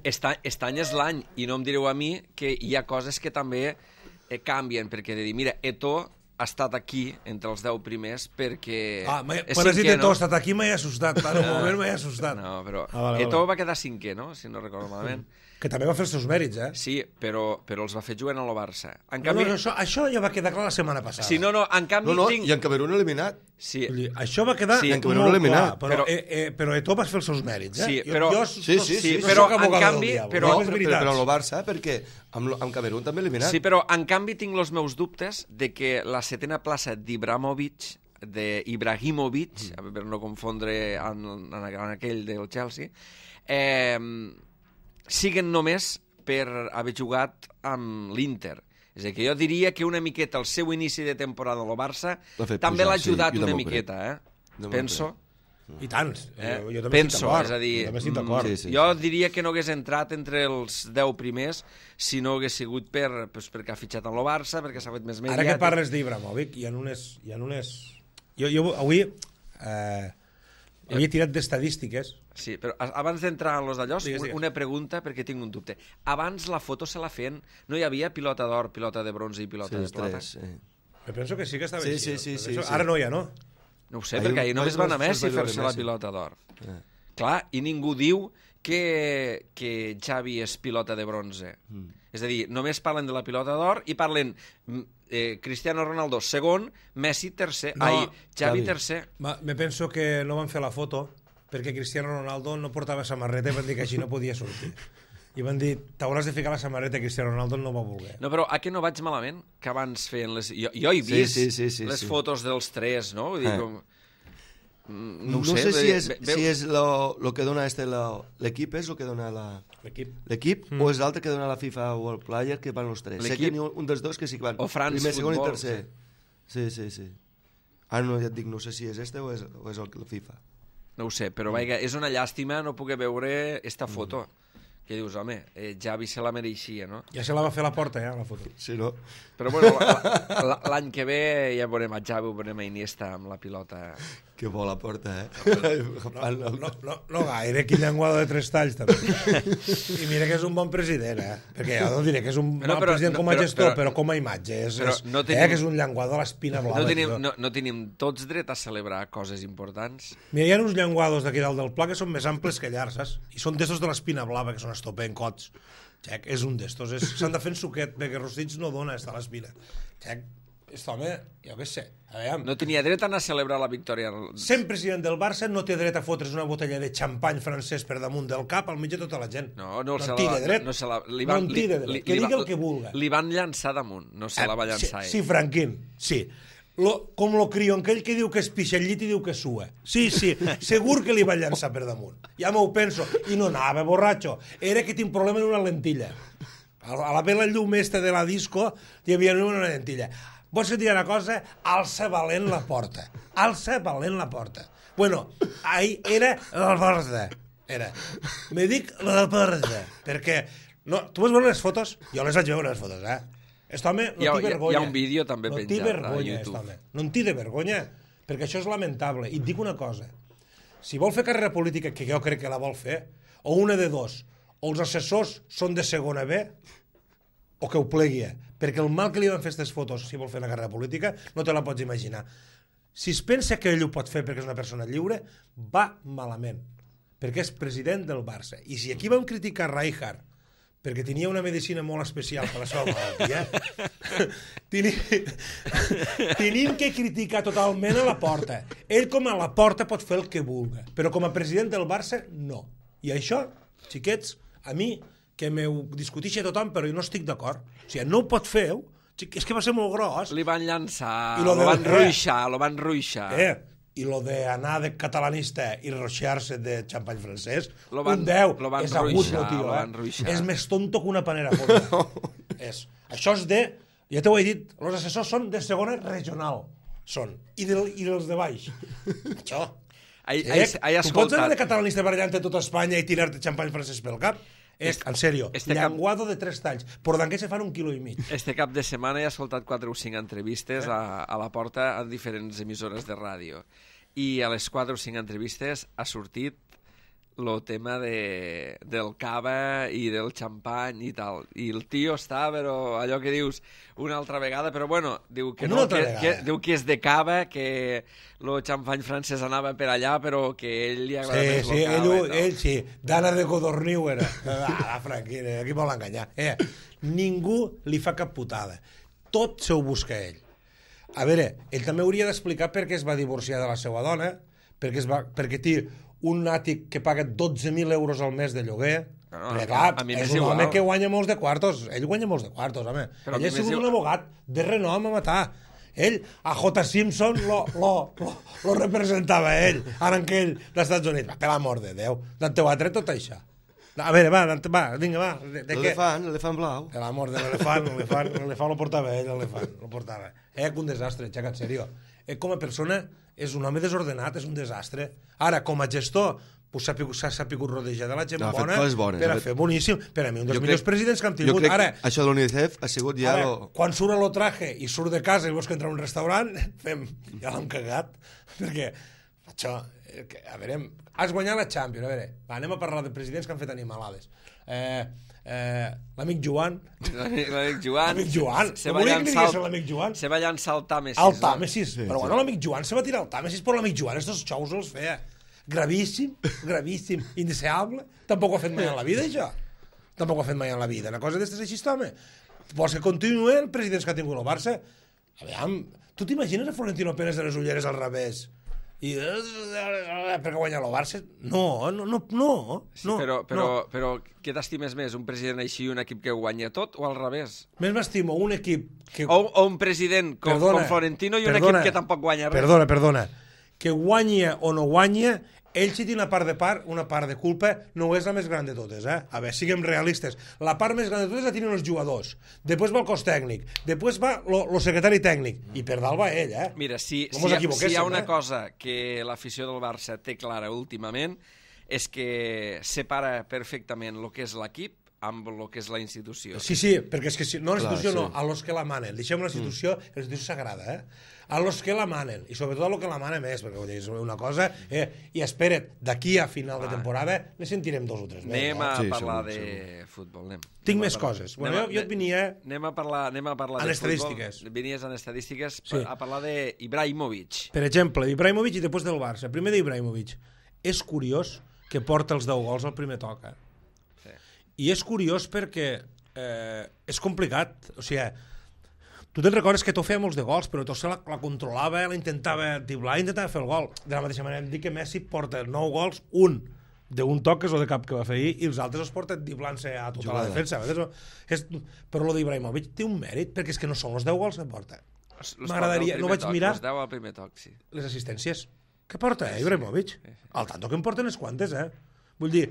Estany és l'any, i no em direu a mi que hi ha coses que també eh, canvien, perquè de dir, mira, Eto'o ha estat aquí entre els deu primers perquè... Ah, quan has dit Eto'o ha estat aquí m'he assustat, en un moment m'he assustat. No, però ah, vale, Eto'o vale. va quedar cinquè, no?, si no recordo malament. Que també va fer els seus mèrits, eh? Sí, però, però els va fer jugant a la Barça. En no, canvi... no, això, això ja va quedar clar la setmana passada. Sí, no, no, en canvi no, no, tinc... i en Camerún eliminat. Sí. Dir, això va quedar sí, molt clar, eliminat. però, però, eh, eh, però Eto'o va fer els seus mèrits, eh? Sí, jo, però, jo, sí, sí, sí, no però soc en canvi... Diable, Però, no, però, però, però el Barça, perquè amb, amb Camerún també eliminat. Sí, però en canvi tinc els meus dubtes de que la setena plaça d'Ibrahimovic d'Ibrahimovic, mm. per no confondre en, en, en aquell del Chelsea, eh, siguen només per haver jugat amb l'Inter. És a dir, que jo diria que una miqueta el seu inici de temporada a lo Barça també l'ha ajudat sí, una miqueta, eh? Penso. I tant. Eh? Jo, jo també Penso, és a dir, jo, també estic d'acord. Sí, sí, jo sí. diria que no hagués entrat entre els deu primers si no hagués sigut per, pues, perquè ha fitxat amb el Barça, perquè s'ha fet més mediàtic. Ara que parles d'Ibrahimovic, hi ha unes... Hi ha unes... Jo, jo avui eh, havia tirat d'estadístiques. Sí, però abans d'entrar en los d'allò, una pregunta, perquè tinc un dubte. Abans la foto se la feien... No hi havia pilota d'or, pilota de bronze i pilota sí, de plata? Sí, sí. Me penso que sí que estava sí, així. Sí, sí, sí, sí, sí. Ara no hi ha, no? No ho sé, ahir, perquè ahir només van a Messi fer-se la pilota d'or. Eh. Clar, i ningú diu que, que Xavi és pilota de bronze. Mm. És a dir, només parlen de la pilota d'or i parlen eh, Cristiano Ronaldo segon, Messi tercer, no, ai, Xavi, Xavi tercer. Ma, me penso que no van fer la foto perquè Cristiano Ronaldo no portava samarreta i van dir que així no podia sortir. I van dir, t'hauràs de ficar la samarreta, Cristiano Ronaldo no va voler. No, però a què no vaig malament? Que abans feien les... Jo, jo he vist sí, sí, sí, sí, les sí. fotos dels tres, no? Vull dir, eh. com... No, no sé, sé si és, ve, si és lo, lo que dona este l'equip, és el que dona la... L'equip, mm. o és l'altre que dona la FIFA World Player, que van els tres. Sé que n'hi ha un dels dos que sí que van. O France Primer, Football, segon i tercer. Sí, sí, sí. Ara no, ja et dic, no sé si és este o és, o és el, el FIFA. No ho sé, però mm. vaja, és una llàstima no poder veure esta foto. Mm. Que dius, home, eh, Xavi se la mereixia, no? Ja se la va fer la porta, ja, la foto. Sí, no? Però bueno, l'any que ve ja veurem a Xavi, veurem a Iniesta amb la pilota. Que bo la porta, eh? No, no, no, no, no gaire, quin llenguado de tres talls, també. I mira que és un bon president, eh? Perquè jo no diré que és un bon president com a gestor, però, però com a imatge. És, és, no tenim, eh, que és un llenguado a l'espina blava. No tenim, no, no tenim tots dret a celebrar coses importants. Mira, hi ha uns llenguados d'aquí dalt del pla que són més amples que llargs, saps? I són d'estos de l'espina blava, que són estopen cots. Xec, és un d'estos. S'han de fer en suquet, perquè rostits no dona estar a l'espina. Xec, aquest home, jo què sé. No tenia dret a anar a celebrar la victòria. Sent president del Barça no té dret a fotre's una botella de xampany francès per damunt del cap al mig de tota la gent. No, no, no se té la, dret. No, se la, li van, no en té dret. Li, que li, digui el que vulga. Li van llançar damunt, no se la va llançar eh, ell. Sí, Franquín, sí. Lo, com lo crió aquell que diu que es pixa el llit i diu que sua. Sí, sí, segur que li va llançar per damunt. Ja m'ho penso. I no anava, borratxo. Era que tinc problema en una lentilla. A la vela llum esta de la disco hi havia una lentilla. Vols que et digui una cosa? Alça valent la porta. Alça valent la porta. Bueno, ahí era la porta. Era. Me dic la porta. Perquè... No, tu vas veure les fotos? Jo les vaig veure, les fotos, eh? Aquest home no té vergonya. Hi ha un vídeo també no penjat vergonya, a YouTube. No en té de vergonya, perquè això és lamentable. I et dic una cosa. Si vol fer carrera política, que jo crec que la vol fer, o una de dos, o els assessors són de segona B, o que ho plegui, perquè el mal que li van fer aquestes fotos, si vol fer una carrera política, no te la pots imaginar. Si es pensa que ell ho pot fer perquè és una persona lliure, va malament, perquè és president del Barça. I si aquí vam criticar Rijkaard perquè tenia una medicina molt especial per la seva malaltia, tenim que criticar totalment a la porta. Ell com a la porta pot fer el que vulga, però com a president del Barça, no. I això, xiquets, a mi, que m'ho discutixi tothom, però jo no estic d'acord. O sigui, no ho pot fer, és que va ser molt gros. Li van llançar, lo, lo van de... ruixar, lo van ruixar. Eh, i lo d'anar de catalanista i roixar-se de xampany francès, lo van, un deu, lo van és agut ruixar, el tio, lo eh? van ruixar. És més tonto que una panera fonda. és. Això és de, ja t'ho he dit, els assessors són de segona regional, són, i, de, i dels de baix. Això. Ai, ai, ai, ai, tu pots anar de catalanista barallant-te tota Espanya i tirar-te xampany francès pel cap? És, en sèrio, este llenguado cap... de tres talls. Por d'en què se fan un quilo i mig. Este cap de setmana he escoltat quatre o cinc entrevistes eh? a, a la porta en diferents emissores de ràdio. I a les quatre o cinc entrevistes ha sortit el tema de, del cava i del xampany i tal. I el tio està, però allò que dius una altra vegada, però bueno, diu que no, que, que, diu que és de cava, que el xampany francès anava per allà, però que ell li agrada sí, més sí, el cava. Ell, no? ell sí, d'Anna de Codorniu era. Ah, Franquina, aquí vol enganyar. Eh, ningú li fa cap putada. Tot se ho busca ell. A veure, ell també hauria d'explicar per què es va divorciar de la seva dona, perquè, es va, perquè té un àtic que paga dotze mil euros al mes de lloguer, no, perquè clar, a mi és un igual. Home que guanya molts de quartos, ell guanya molts de quartos, home. Però ell és un igual. Abogat de renom a matar. Ell, a J. Simpson, lo, lo, lo, lo representava ell, ara en aquell dels Estats Units. Va, per l'amor de Déu, d'on te ho ha tret tot això? A veure, va, va, vinga, va. De, de l'elefant, l'elefant blau. Per l'amor de l'elefant, l'elefant, l'elefant lo portava ell, l'elefant, lo portava. Eh, que un desastre, xaca, en sèrio. Eh, com a persona, és un home desordenat, és un desastre. Ara, com a gestor, s'ha pues, sapigut rodejar de la gent no, bona bones, per a fer boníssim. Per a mi, un dels jo millors crec, presidents que hem tingut. Jo crec ara, això de l'UNICEF ha sigut ja... Ara, lo... quan surt a lo traje i surt de casa i veus que entra a un restaurant, fem, ja l'hem cagat. Perquè, això, a veure, has guanyat la Champions, a veure, va, anem a parlar de presidents que han fet animalades. Eh, eh, l'amic Joan... L'amic Joan... L'amic Joan, se no va volia que llançar digués l'amic Joan. Se va llançar al Tàmesis. Al Tàmesis, sí, però sí. bueno, l'amic Joan se va tirar al Tàmesis per l'amic Joan, estos xous els feia. Gravíssim, gravíssim, indeseable. Tampoc ho ha fet mai en la vida, això. Tampoc ho ha fet mai en la vida. Una cosa d'estes així, home. Vols que continuï el president que ha tingut el Barça? A veure, tu t'imagines a Florentino Pérez de les ulleres al revés? I perquè guanya el Barça? No, no, no, no. Sí, però, però, no. però què t'estimes més? Un president així, un equip que guanya tot, o al revés? Més m'estimo un equip que... O, o un president com, perdona, com Florentino i un perdona, equip que tampoc guanya res. Perdona, perdona. Que guanya o no guanya, ell sí té una part de part, una part de culpa, no és la més gran de totes, eh? A veure, siguem realistes. La part més gran de totes la tenen els jugadors. Després va el cos tècnic. Després va el secretari tècnic. I per dalt va ell, eh? Mira, si, no si, hi ha, si hi ha una eh? cosa que l'afició del Barça té clara últimament, és que separa perfectament el que és l'equip amb el que és la institució. Sí, sí, perquè és que si, no la institució Clar, no, sí. a los que la manen. Deixem la institució, mm. la institució sagrada, eh? A los que la manen, i sobretot a lo que la manen més, perquè és una cosa, eh? I espera't, d'aquí a final de temporada ne sentirem dos o tres més. Anem a Sí, parlar segur, de segur. futbol, anem. Tinc anem més coses. Bueno, jo, jo et venia... Anem a parlar, anem a parlar en de estadístiques. futbol. Venies en estadístiques Sí. a parlar d'Ibrahimovic. Per exemple, d'Ibrahimovic i després del Barça. Primer d'Ibrahimovic. És curiós que porta els deu gols al primer toc, eh? Sí. I és curiós perquè eh, és complicat. O sigui, tu te'n recordes que tu feia molts de gols, però tu la, la controlava, la intentava driblar, intentava fer el gol. De la mateixa manera, em dic que Messi porta nou gols, un d'un toc, que és el de cap que va fer ahir, i els altres els porta driblant-se a tota Jugada. La defensa. És, però el d'Ibrahimovic té un mèrit, perquè és que no són els deu gols que porta. M'agradaria, no vaig toc, mirar els deu al primer toc, sí. les assistències. Què porta, eh, Ibrahimovic? Sí, sí. Al tanto que em porten unes quantes, eh? Vull dir,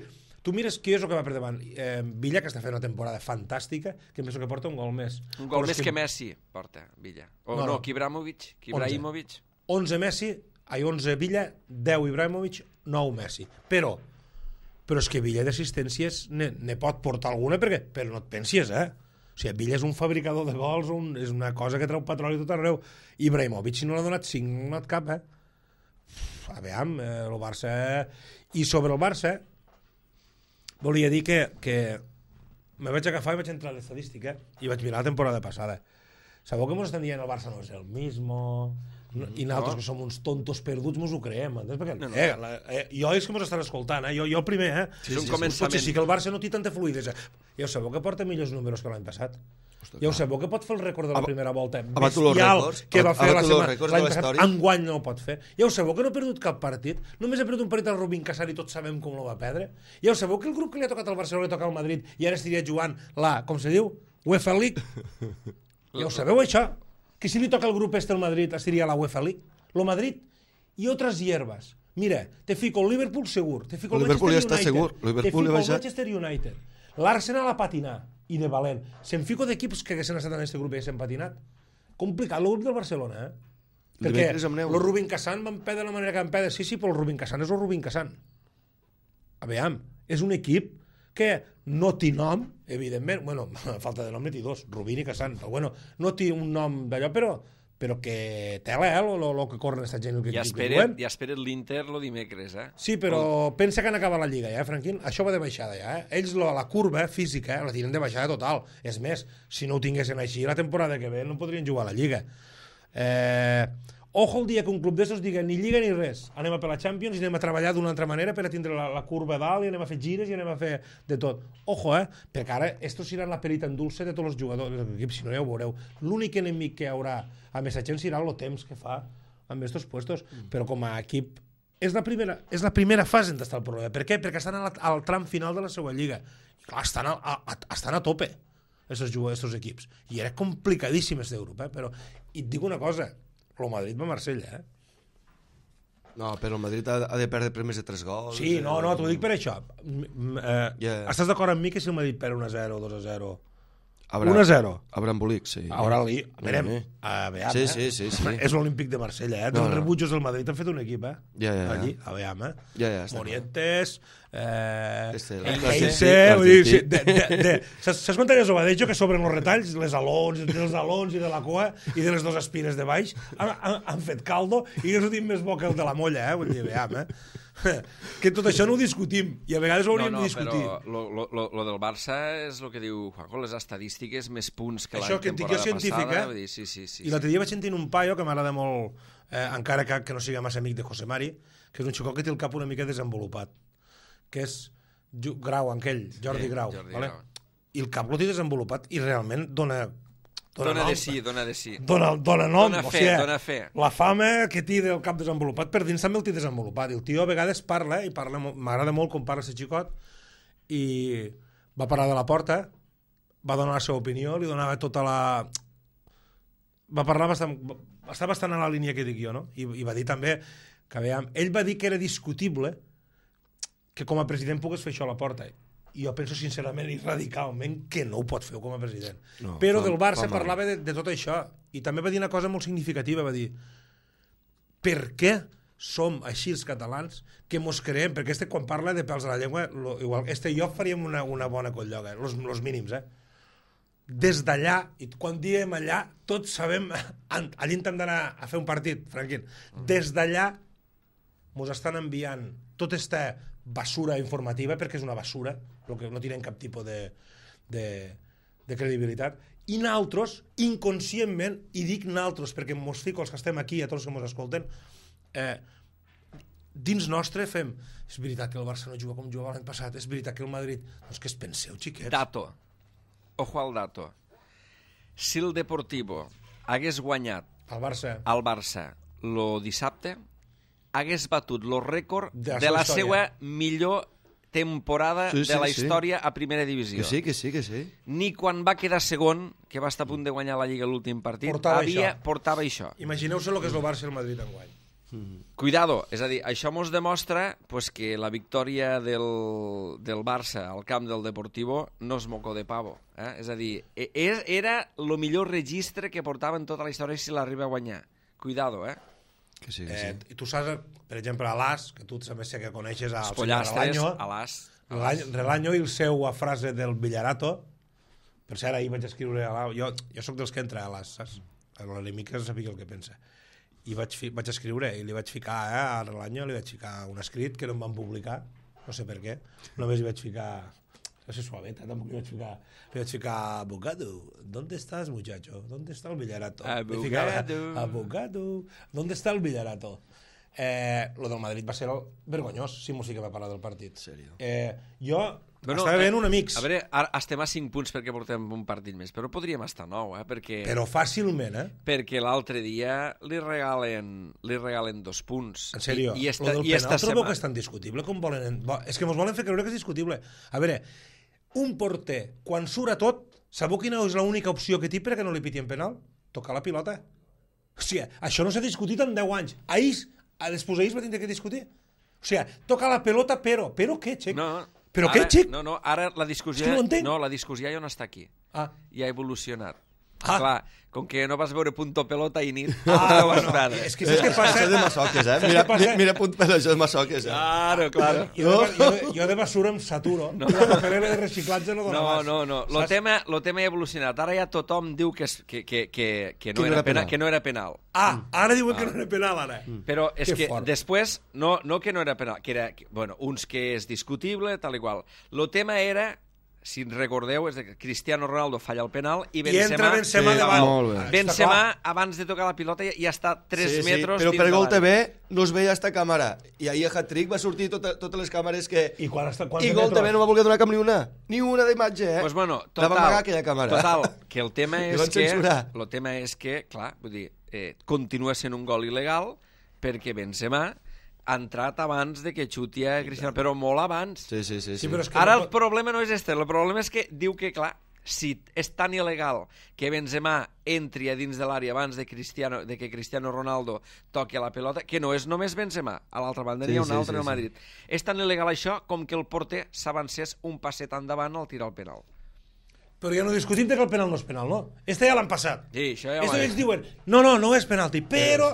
tu mires qui és el que va per davant. Eh, Villa, que està fent una temporada fantàstica, que em penso que porta un gol més. Un gol més que... que Messi porta, Villa. O no, no, no que Ibrahimovic. Que Ibrahimovic. onze Messi, ai, onze Villa, deu Ibrahimovic, nou Messi. Però, però és que Villa d'assistències ne, ne pot portar alguna, perquè, però no et pensis, eh? O sigui, Villa és un fabricador de gols, un, és una cosa que treu petroli tot arreu. Ibrahimovic, si no l'ha donat cinc, no l'ha donat cap, eh? A veure, eh, el Barça... I sobre el Barça, volia dir que, que me vaig agafar i vaig entrar a l'estadística i vaig mirar la temporada passada. Sabeu que mos estan dient el Barça no és el mismo, no, i nosaltres no. que som uns tontos perduts mos ho creem, entens? Perquè, no, no. Eh, la, eh, jo és que mos estan escoltant, eh? jo, jo primer, eh? Sí, és un sí, començament. Potser sí que el Barça no té tanta fluidesa. Ja ho sabeu que porta millors números que l'any passat. Ostres, ja ho sabeu que pot fer el rècord de la primera volta bestial que va fer la setmana l'any passat, enguany no ho pot fer. Ja ho sabeu que no ha perdut cap partit, només ha perdut un partit al Rubin Casar i tots sabem com lo va perdre. Ja ho sabeu que el grup que li ha tocat al Barcelona li toca al Madrid i ara estaria jugant la, com se diu, UEFA League. Ja ho sabeu això? Que si li toca el grup este al Madrid estaria la UEFA League. Lo Madrid i otras hierbas. Mira, te fico el Liverpool segur, te fico el Liverpool Manchester ja United, segur. te fico el Manchester United, l'Arsenal a patinar, i de valent. Se'n fico d'equips que haguessin estat en aquest grup i haguessin patinat. Complicat, el grup del Barcelona, eh? Perquè el Rubin Cassan van perdre de la manera que van perdre. Sí, sí, però el Rubin Cassan és el Rubin Cassan. A veure, és un equip que no té nom, evidentment, bueno, a falta de nom ne té dos, Rubin i Cassan, però bueno, no té un nom d'allò, però però que tela, eh, el que corren aquesta gent. Que, ja espera't ja espera't l'Inter el dimecres, eh? Sí, però el... pensa que han acabat la Lliga, ja, eh, Franquín? Això va de baixada, ja, eh? Ells la, la curva física eh, la tiren de baixada total. És més, si no ho tinguessin així, la temporada que ve no podrien jugar a la Lliga. Eh... Ojo el dia que un club d'estos diga ni Lliga ni res. Anem a per la Champions i anem a treballar d'una altra manera per a tindre la, la curva dalt i anem a fer gires i anem a fer de tot. Ojo, eh? Perquè ara estos seran la perita en dulce de tots els jugadors de l'equip, si no ja ho veureu. L'únic enemic que hi haurà amb aquesta gent serà el temps que fa amb estos puestos. Mm. Però com a equip és la primera, és la primera fase on està el problema. Per què? Perquè estan al, al tram final de la seva lliga. I clar, estan a, a, estan a tope aquests equips. I era complicadíssim este grup, eh? Però i et dic una cosa, el Madrid va a Marsella, eh? No, però el Madrid ha, ha de perdre per més de tres gols. Sí, no, no, t'ho dic per això. Eh, Yeah. Estàs d'acord amb mi que si el Madrid perd un a zero, dos a zero, Habrà, un a zero, habrà embolic, sí. ara li... Verem, Sí. a veure, Sí, eh? sí, sí, sí. És l'Olímpic de Marsella, eh? No, Els no. rebutjos del Madrid han fet un equip, eh? Ja, ja, ja. Allí, a veure, eh? Ja, ja, està Morientes, eh... Este, Heinze, l'Argentí. vull dir, sí, de, de, de, saps, saps quan tenies Obadejo que sobren els retalls, les alons, dels alons i de la cua i de les dues espines de baix, han, han, han fet caldo i que sortim més bo que el de la molla, eh? Vull dir, veiem, eh? Que tot això no ho discutim i a vegades ho hauríem no, no, de discutir. però lo, lo, lo, lo del Barça és el que diu Juanjo, les estadístiques més punts que Això la que et dic temporada jo científic, passada. eh? Vull dir, sí, sí, sí, I l'altre dia vaig sentint un paio que m'agrada molt, eh, encara que, que no sigui massa amic de José Mari, que és un xicot que té el cap una mica desenvolupat, que és Ju- Grau, aquell, Jordi Sí, Grau, Jordi vale? Grau. I el cap lo té desenvolupat i realment dona... Dona nom, de sí, dona de sí. Dona, dona nom, Dona o fe, sigui, dona fe. la fama que té del cap desenvolupat per dins també el té desenvolupat, i el tio a vegades parla, i parla mo- m'agrada molt com parla aquest xicot, i va parar de la porta, va donar la seva opinió, li donava tota la... va parlar bastant, està bastant a la línia que dic jo, no? I, i va dir també que, veiem, ell va dir que era discutible que com a president pogués fer això a la porta, i jo penso sincerament i radicalment que no ho pot fer com a president. No, Però fa- del Barça fa mal. parlava de, de tot això, i també va dir una cosa molt significativa, va dir per què som així els catalans que mos creem, perquè este quan parla de pèls a la llengua, lo, igual, este i jo faríem una, una bona colloga, eh? los, los mínims, eh? Des d'allà, i quan diem allà, tots sabem, allà intentem d'anar a fer un partit, Franquín, des d'allà mos estan enviant tota esta basura informativa, perquè és una basura, el que no tenen cap tipus de, de, de credibilitat, i naltros, inconscientment, i dic naltros perquè mos fico els que estem aquí, a tots els que mos escolten, eh, dins nostre fem, és veritat que el Barça no juga com jugava l'any passat, és veritat que el Madrid... Doncs que es penseu, xiquets. Dato. Ojo al dato. Si el Deportivo hagués guanyat El Barça... al Barça lo dissabte, hagués batut el rècord De la de seva la història. seva millor temporada Sí, de sí, la sí. història a primera divisió. Que sí, que sí, que sí. Ni quan va quedar segon, que va estar a punt de guanyar la Lliga l'últim partit, Portava havia, això. portava això. Imagineu-se el que és el Barça i el Madrid enguany. Cuidado, és a dir, això mos demostra pues, que la victòria del, del Barça al camp del Deportivo no és moco de pavo. Eh? És a dir, e- e- era el millor registre que portava en tota la història si l'arriba a guanyar. Cuidado, eh? Que sí, que Eh, sí. I tu saps, per exemple, a l'As, que tu també sé que coneixes al Els senyor pollastres, Relaño, a l'as. Relany- Relaño i el seu frase del Villarato, per cert, ahir vaig escriure a l'A... Jo, jo sóc dels que entra a l'As, saps? A l'enemic que sabia el que pensa. I vaig, fi, vaig escriure, i li vaig ficar, eh, a Relaño, li vaig ficar un escrit que no em van publicar, no sé per què, només li vaig ficar... No sé, suaveta, tampoc li vaig ficar... Li vaig ficar, abogado, ¿dónde estás, muchacho? ¿Dónde está el Villarato? Le ficava, Abogado. abogado, ¿dónde está el Villarato? Eh, lo del Madrid va ser el vergonyós, si mos sí que va parlar del partit. Sèrio. Eh, jo Bueno, estava veient eh, un amics, A veure, ara estem a cinc punts perquè portem un partit més, però podríem estar a nou, eh? Perquè, però fàcilment, eh? perquè l'altre dia li regalen, li regalen dos punts. En sèrio, I, i esta, esta, lo del i penal esta trobeu sema- que és tan discutible com volen... En... Bo, és que mos volen fer creure que és discutible. A veure, un porter, quan surt a tot, sabeu quina és l'única opció que té perquè no li pitien penal? Tocar la pilota. O sigui, això no s'ha discutit en deu anys. Ahir, després ahir es va tindre que discutir. O sigui, toca la pelota, però... Però què, Xec? No, Però ara, què, Xic? No, no, ara la discussió... És que no ho entenc. no, la discussió ja no està aquí. Ah, Ja ha evolucionat. Ah. Clar, com que no vas veure Punto Pelota i nit, ah no vas bueno, veure. és que saps què passa? Això és de masoques, eh? Saps Mira, què passa? mira, mira punt per això és masoques, eh? Claro, claro. Jo de, jo, de, jo de basura em saturo. No. La paperera de reciclatge no dona No, más. no, no. Lo Saps? tema, lo tema ha evolucionat. Ara ja tothom diu que, és- que, que, que, que, no, Que no era era penal, penal. que no era penal. Ah, ara diuen que no era penal, ara. Però és Que que fort. després, no, no que no era penal, que era, que, bueno, uns que és discutible, tal i qual. Lo tema era, si ens recordeu, és que Cristiano Ronaldo falla el penal i I Benzema... entra Benzema Sí, davant. molt bé. Està Benzema, clar. abans de tocar la pilota, ja, ja està tres Sí, sí, metres però dins per de Gol l'àrea. T V no es veia esta càmera. I ahir a Hat-Trick va sortir tota, totes les càmeres que... I quan està... Quan I Gol T V no va voler donar cap ni una. Ni una d'imatge, eh? Pues bueno, La total, va amagar aquella càmera. total, que el tema Li és van que... censurar. El tema és que, clar, vull dir, eh, continua sent un gol il·legal perquè Benzema ha entrat abans de que xuti a Cristiano, però molt abans. Sí, sí, sí. Sí, sí. però és que Ara no el problema no és este, el problema és que diu que, clar, si és tan il·legal que Benzema entri a dins de l'àrea abans de, Cristiano, de que Cristiano Ronaldo toqui la pelota, que no és només Benzema, a l'altra banda n'hi ha un sí, altre sí, al Madrid. Sí. És tan il·legal això com que el porter s'avancés un passet endavant al tirar el penal. Però ja no discutim que el penal no és penal, no? Este ja l'han passat. Sí, això ja Esto ho ells diuen, no, no, no és penalti, però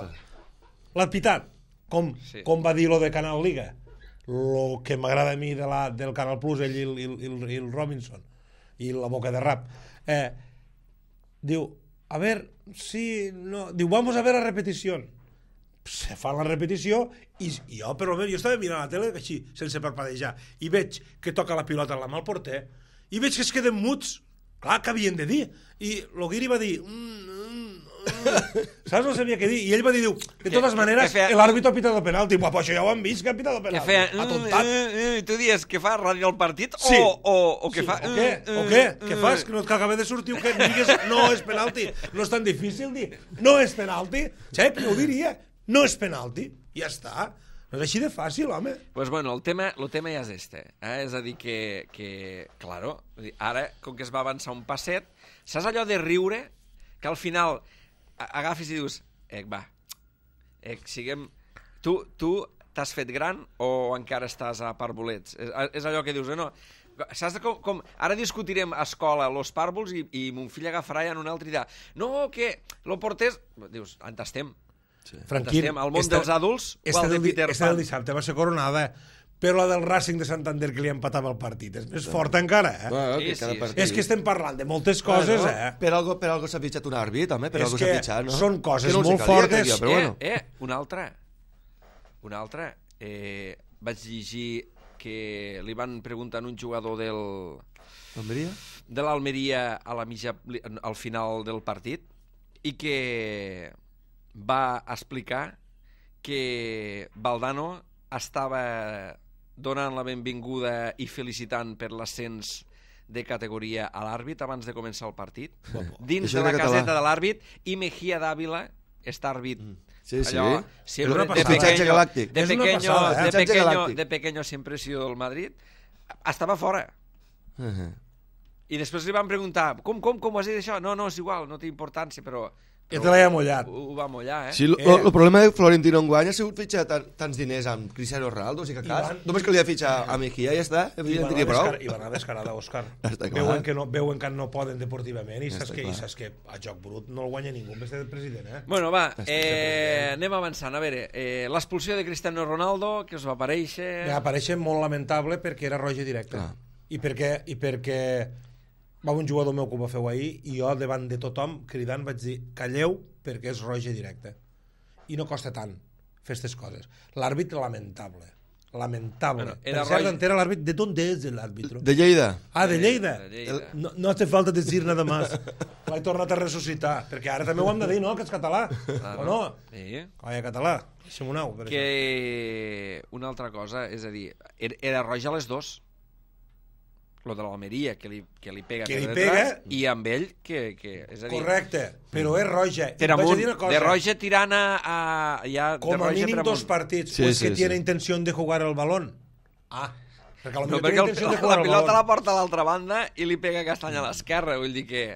l'ha pitat, com, Sí. com va dir lo de Canal Liga. Lo que m'agrada a mi de la, del Canal Plus, ell i el, i, el, i el Robinson, i la boca de rap. Eh, diu, a ver, sí, no... Diu, vamos a ver la repetición. Se fa la repetició i, i jo, per almenys, jo estava mirant la tele així, sense parpadejar, i veig que toca la pilota a la mà al porter, i veig que es queden muts. Clar, que havien de dir. I l'Oguiri va dir... Mm, mm, mm. Saps? No sabia què dir. I ell va dir, diu, de totes maneres, feia... l'àrbitro ha pitat el penalti. Buah, però això ja ho han vist, que ha pitat el penalti. Que feia... Atontat. I tu dius que fa ràdio al partit Sí. o, o, o que Sí, fa... o què? O què? Què fas? Que no et acaba de sortir o què? Digues, no és penalti. No és tan difícil dir, no és penalti. Xep, jo ho diria. No és penalti. Ja està. No és així de fàcil, home. Pues bueno, el tema, el tema ja és este. Eh? És a dir que, que claro, ara, com que es va avançar un passet, saps allò de riure? Que al final agafis i dius, ec, va, ec, siguem... Tu, tu t'has fet gran o encara estàs a parvulets? És, és allò que dius, eh, no? Saps com, com... Ara discutirem a escola los pàrvuls i, i mon fill agafarà ja en un altre i dirà, no, que lo portés... Dius, on estem? Sí. Franquín, el món esta, dels adults o el de Peter Pan? Esta del dissabte va ser coronada, però la del Racing de Santander que li empatava el partit és més forta encara, eh? Bueno, sí, que cada sí, partit... És que estem parlant de moltes coses, bueno, eh? Per algo, per algo s'ha fitxat un àrbit, home, per És algo que s'ha fitxat, no? són coses no molt calia, fortes. Dia, però eh, bueno. eh, una altra. Una altra. Eh, vaig llegir que li van preguntar a un jugador del... L'Almeria? De l'Almeria a la mitja, al final del partit i que va explicar que Valdano estava donant la benvinguda i felicitant per l'ascens de categoria a l'àrbit abans de començar el partit, dins Això de la era caseta català. de l'àrbit, i Mejía d'Àvila, este àrbit, Sí, sí. allò, siempre, una de passada. Fitxatge pequeño, galàctic. de És una pequeño, passada, eh? de Fitxatge pequeño, galàctic. de pequeño siempre he sido del Madrid, estava fora. Uh -huh. I després li van preguntar, com, com, com ho has dit això? No, no, és igual, no té importància, però... Ja però te l'he mullat. Ho, ho va mullar, eh? Sí, el Eh. problema de Florentino enguany ha sigut fitxar tan, tants diners amb Cristiano Ronaldo, o sigui que cas, van- només que li ha fitxar a Mejía i ja està, I ja va en tenia anar prou. descar- I va anar descarada, Òscar. Està clar. Veuen que, no, veuen que no poden deportivament i Està saps, que, i clar. saps que a joc brut no el guanya ningú en vez de president, eh? Bueno, va, eh, anem avançant. A veure, eh, l'expulsió de Cristiano Ronaldo, que us va aparèixer... Va aparèixer molt lamentable perquè era roja directa. Ah. I perquè, i perquè va un jugador meu que ho va fer ahir i jo davant de tothom cridant vaig dir calleu perquè és roja directa. I no costa tant fer aquestes coses. L'àrbit lamentable. Lamentable. Bueno, Bueno, era per cert, roja- entera l'àrbit. ¿De dónde es el árbitro? De Lleida. Ah, de Lleida. De Lleida. No, no hace falta decir nada más. L'he tornat a ressuscitar. Perquè ara també ho hem de dir, no?, que és català. O no? Sí. Colla, català. Deixem un au. Per això. Que una altra cosa, és a dir, era, era roja a les dos. Lo de l'Almeria, que li, que li pega Que per li detrás, pega. i amb ell, que, que és a dir... Correcte, però és roja. I Per vaig a amunt, dir una cosa. de roja tirant a... a ja, de Com a roja mínim per amunt. dos partits. Sí, o es sí, que tiene sí. intención de jugar el balón. Ah, perquè a lo No, millor perquè tiene el, intención de la, jugar la el pilota la balón. porta a l'altra banda i li pega Castanya a l'esquerra, vull dir que...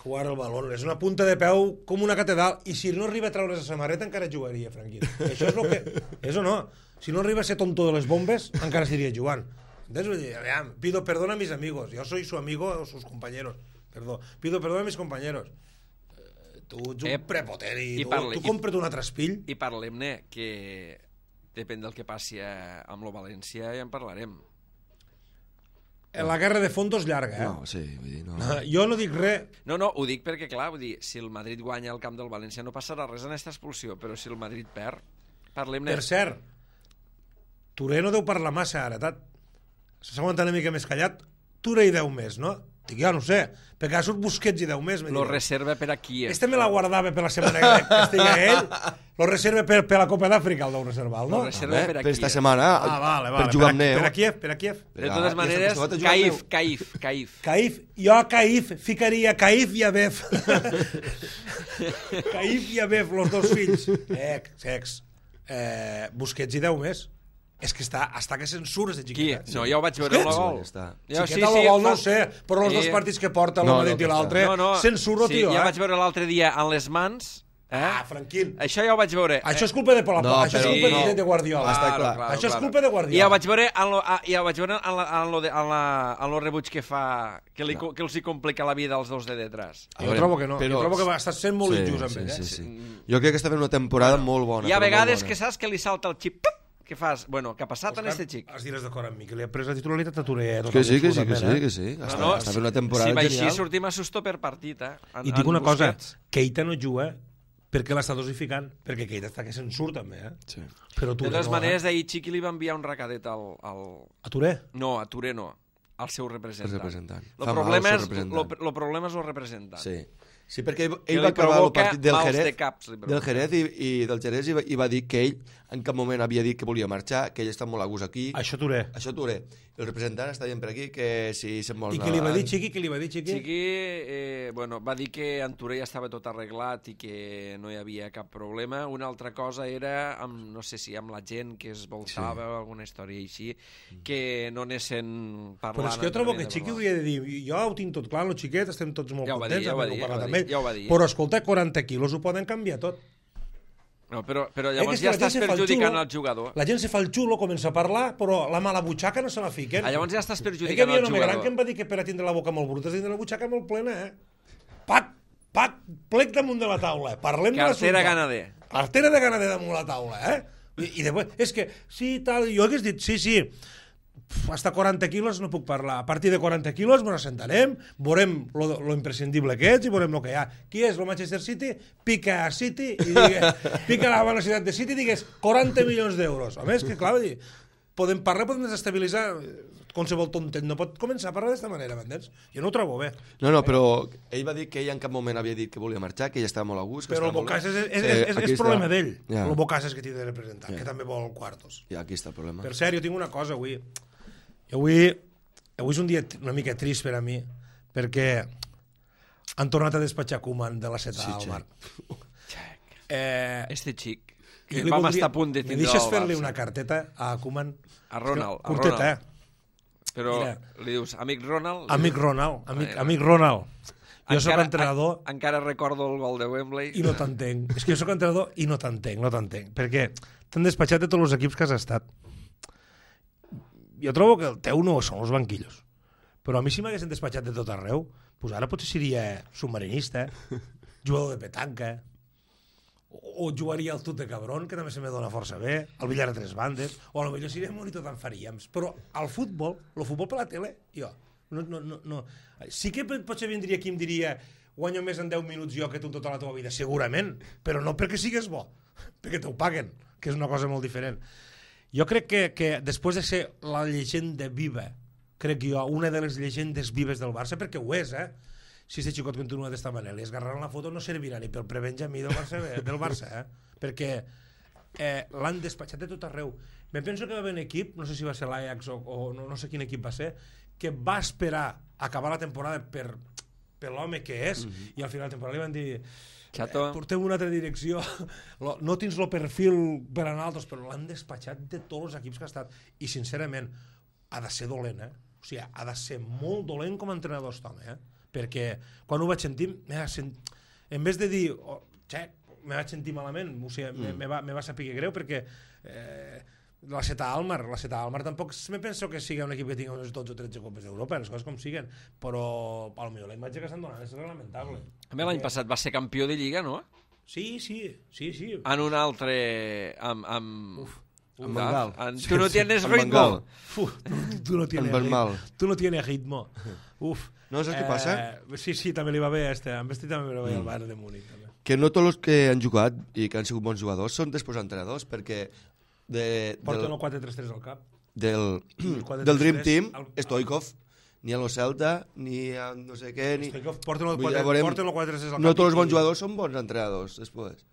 Jugar el balón. És una punta de peu com una catedral. I si no arriba a treure's la samarreta encara jugaria, Franquín. Això és el que... És o no? Si no arriba a ser tonto de les bombes, encara estaria jugant. Entonces, vull dir, aviam, pido perdón a mis amigos. Yo soy su amigo o sus compañeros. Perdó. Pido perdón a mis compañeros. Eh, tu ets un Eh, prepotent i, i tu, parli- tu i- compra't un altre espill. I parlem-ne, que depèn del que passi a- amb lo València, ja en parlarem. La guerra de fondos llarga, eh? No, sí, vull dir, no. Jo no dic res. No, no, ho dic perquè, clar, vull dir, si el Madrid guanya el camp del València no passarà res en aquesta expulsió, però si el Madrid perd, parlem-ne. Per cert, Touré no deu parlar massa ara, tat. S'ha aguantat una mica més callat. Touré i deu més, no? Dic, ja no ho sé, perquè ha surt Busquets i deu més. me Lo direu. reserva per aquí. Este me la guardava per la setmana que, que estigui ell, lo reserva per, per la Copa d'Àfrica, el deu reservar, no? Lo reserva Bé, per per aquí. esta setmana, Ah, vale, vale. per jugar amb per, neu. per a Kiev, per a Kiev. De totes Ja, maneres, ja s'ha posat a jugar amb Caif, neu. Caif, Caif. Caif, jo a Caif ficaria Caif i Abef. Caif i Abef, los dos fills. Ex, ex. Eh, Busquets i deu més. És que està, està que censures de Qui? Xiqueta. No, ja ho vaig veure en el gol. Ja, Xiqueta el gol no ho sé, però els dos partits que porta l'un dit i l'altre, no, no, censuro, sí, tio. Ja eh? vaig veure l'altre dia en les mans. Eh? Ah, Franquín. Això ja ho vaig veure. Això és culpa de Palafox, no, això és però, culpa no. de, de Guardiola. Està clar. Claro, claro, això és claro. culpa de Guardiola. I ja ho vaig veure en lo, ja ho vaig veure en, la, en, lo de, en, la, en lo rebuig que fa, que, li, no. que els hi complica la vida als dos de detrás. Jo veure, trobo que no. però... Jo trobo que va estar sent molt sí, injust amb sí, ell. Eh? Sí, sí. Jo crec que està fent una temporada bueno, molt bona. Hi ha vegades que bona. saps que li salta el xip, que fas, bueno, què ha passat Oscar, en este xic? has diràs d'acord amb mi, que li ha pres la titularitat a Touré. Eh, Que sí, que sí, que sí, eh? que sí. No, Està, no, està fent una temporada si va així genial. sortim a susto per partit, eh? En, I dic una en cosa, Busquets. Keita no juga perquè l'està dosificant, perquè Keita està que se'n surt també, eh? Sí. Però De Touré totes no, maneres, eh? ahir Chiqui li va enviar un recadet al... al... A Touré? No, a Touré no, al seu representant. El representant. El Fa problema, mal al és, seu representant. lo, lo problema és el representant. Sí. Sí, perquè ell, Que ell li va acabar el provoca partit del mals Jerez, de caps, li provoca. del Jerez i, i del Jerez i va, i va dir que ell en cap moment havia dit que volia marxar, que ell està molt a gust aquí. Això Touré. Això Touré. El representant està dient per aquí que si se'n vol I anar què li va dir abans. Chiqui? Què li va dir Chiqui? Chiqui eh, bueno, va dir que en Touré ja estava tot arreglat i que no hi havia cap problema. Una altra cosa era, amb, no sé si amb la gent que es voltava o alguna història així, que no anessin parlant... Però és que jo trobo que de Chiqui parlar. hauria de dir jo ho tinc tot clar, el xiquet, estem tots molt Ja ho va dir, contents, ja ho va hem dir, ja ho parlat va amb dir, ell, ja ho va dir. però escolta, quaranta quilos ho poden canviar tot. No, però, però Eh, llavors que és que ja la gent estàs se fa el perjudicant xulo, el jugador. La gent se fa el xulo, comença a parlar, però la mala butxaca no se la fiquen. Ah, llavors ja estàs Eh, que hi perjudicant havia el un home gran jugador. que em va dir que per a tindre la boca molt bruta has de tindre la butxaca molt plena, eh? Pac, pac, plec damunt de la taula. Parlem de l'assumpte. Cartera ganader. Cartera de ganader damunt la taula, eh? I, i després, és que, sí, tal, jo hagués dit, sí, sí, hasta quaranta quilos no puc parlar. A partir de quaranta quilos ens assentarem, veurem lo, lo imprescindible que ets i veurem el que hi ha. Qui és el Manchester City? Pica a City i digue, pica la velocitat de City i digues quaranta milions d'euros. A més, que clar, dir, podem parlar, podem desestabilitzar qualsevol tontet. No pot començar a parlar d'esta manera, m'entens? Jo no ho trobo bé. No, no, però ell va dir que ell en cap moment havia dit que volia marxar, que ell estava molt a gust. Que Però el estava molt Bocàs és, bé. és, és, Sí, és, aquí és problema està. d'ell. Ja. El Bocàs és que té de representar, Ja. que també vol quartos. I aquí està el problema. Per cert, jo tinc una cosa avui. Avui, avui és un dia una mica trist per a mi, perquè han tornat a despatxar Koeman de la Seta Sí, al mar. Xec. Eh, Este xic, jo que li vam voldria- estar a punt de Me tindre deixes al fer-li Barça. una carteta a Koeman? A Ronald, a Curteta, Ronald. eh? Però Mira. li dius, amic Ronald... Amic Ronald, amic, Bueno. amic Ronald. Jo sóc Encara- entrenador en- Encara recordo el gol de Wembley. i no t'entenc. És que jo sóc entrenador i no t'entenc, no t'entenc. Perquè t'han despatxat de tots els equips que has estat. Jo trobo que el teu no són els banquillos. Però a mi si m'haguessin despatxat de tot arreu, doncs ara potser seria submarinista, jugador de petanca, o, o jugaria al tut de cabron, que també se me dona força bé, al billar a tres bandes, o potser seria monitor tant faríem. Però al futbol, el futbol per la tele, jo, no, no, no, no. Sí que potser vindria aquí i em diria guanyo més en deu minuts jo que tu tota la teva vida, segurament, però no perquè sigues bo, perquè t'ho paguen, que és una cosa molt diferent. Jo crec que, que després de ser la llegenda viva, crec jo, una de les llegendes vives del Barça, perquè ho és, eh? Si aquest xicot continua d'esta manera, li esgarraran la foto no servirà ni pel prebenjamí del Barça, del Barça eh? Perquè eh, l'han despatxat de tot arreu. Me penso que va haver un equip, no sé si va ser l'Ajax o, o no, no sé quin equip va ser, que va esperar acabar la temporada per, per l'home que és, mm-hmm. i al final de la temporada li van dir Chato. Eh, portem una altra direcció, no tens el perfil per anar altres, però l'han despatxat de tots els equips que ha estat, i sincerament ha de ser dolent, eh? O sigui, ha de ser molt dolent com a entrenador aquest home, eh? Perquè quan ho vaig sentir, sent... en vez de dir, oh, xec, me vaig sentir malament, o sigui, mm. me, me, va, me va saber greu, perquè eh, la Seta Almar, la Seta Almar tampoc me penso que sigui un equip que tingui unes dotze o tretze copes d'Europa, les coses com siguen, però potser la imatge que estan donant és reglamentable. A mi l'any passat va ser campió de Lliga, no? Sí, sí, sí, sí. En un altre... Amb, amb... Uf. Amb Bengal. En, tu no tienes Amb ritmo. Bengal. Uf, tu, tu no tienes Bengal. ritmo. Tu no tienes ritmo. Uf. No saps què passa? Eh, sí, sí, també li va bé a este. Amb este també li va bé al Bayern de Múnich. També. Que no tots els que han jugat i que han sigut bons jugadors són després entrenadors, perquè de, Porten del, el quatre tres tres al cap. del, quatre del Dream tres tres Team, al- Stoikov, ni a lo Celta, ni a no sé què, ni... Stoikov, porten el Vull dir, quatre- veurem- porten el quatre tres tres al cap. No tots els bons i- jugadors són bons entrenadors, després.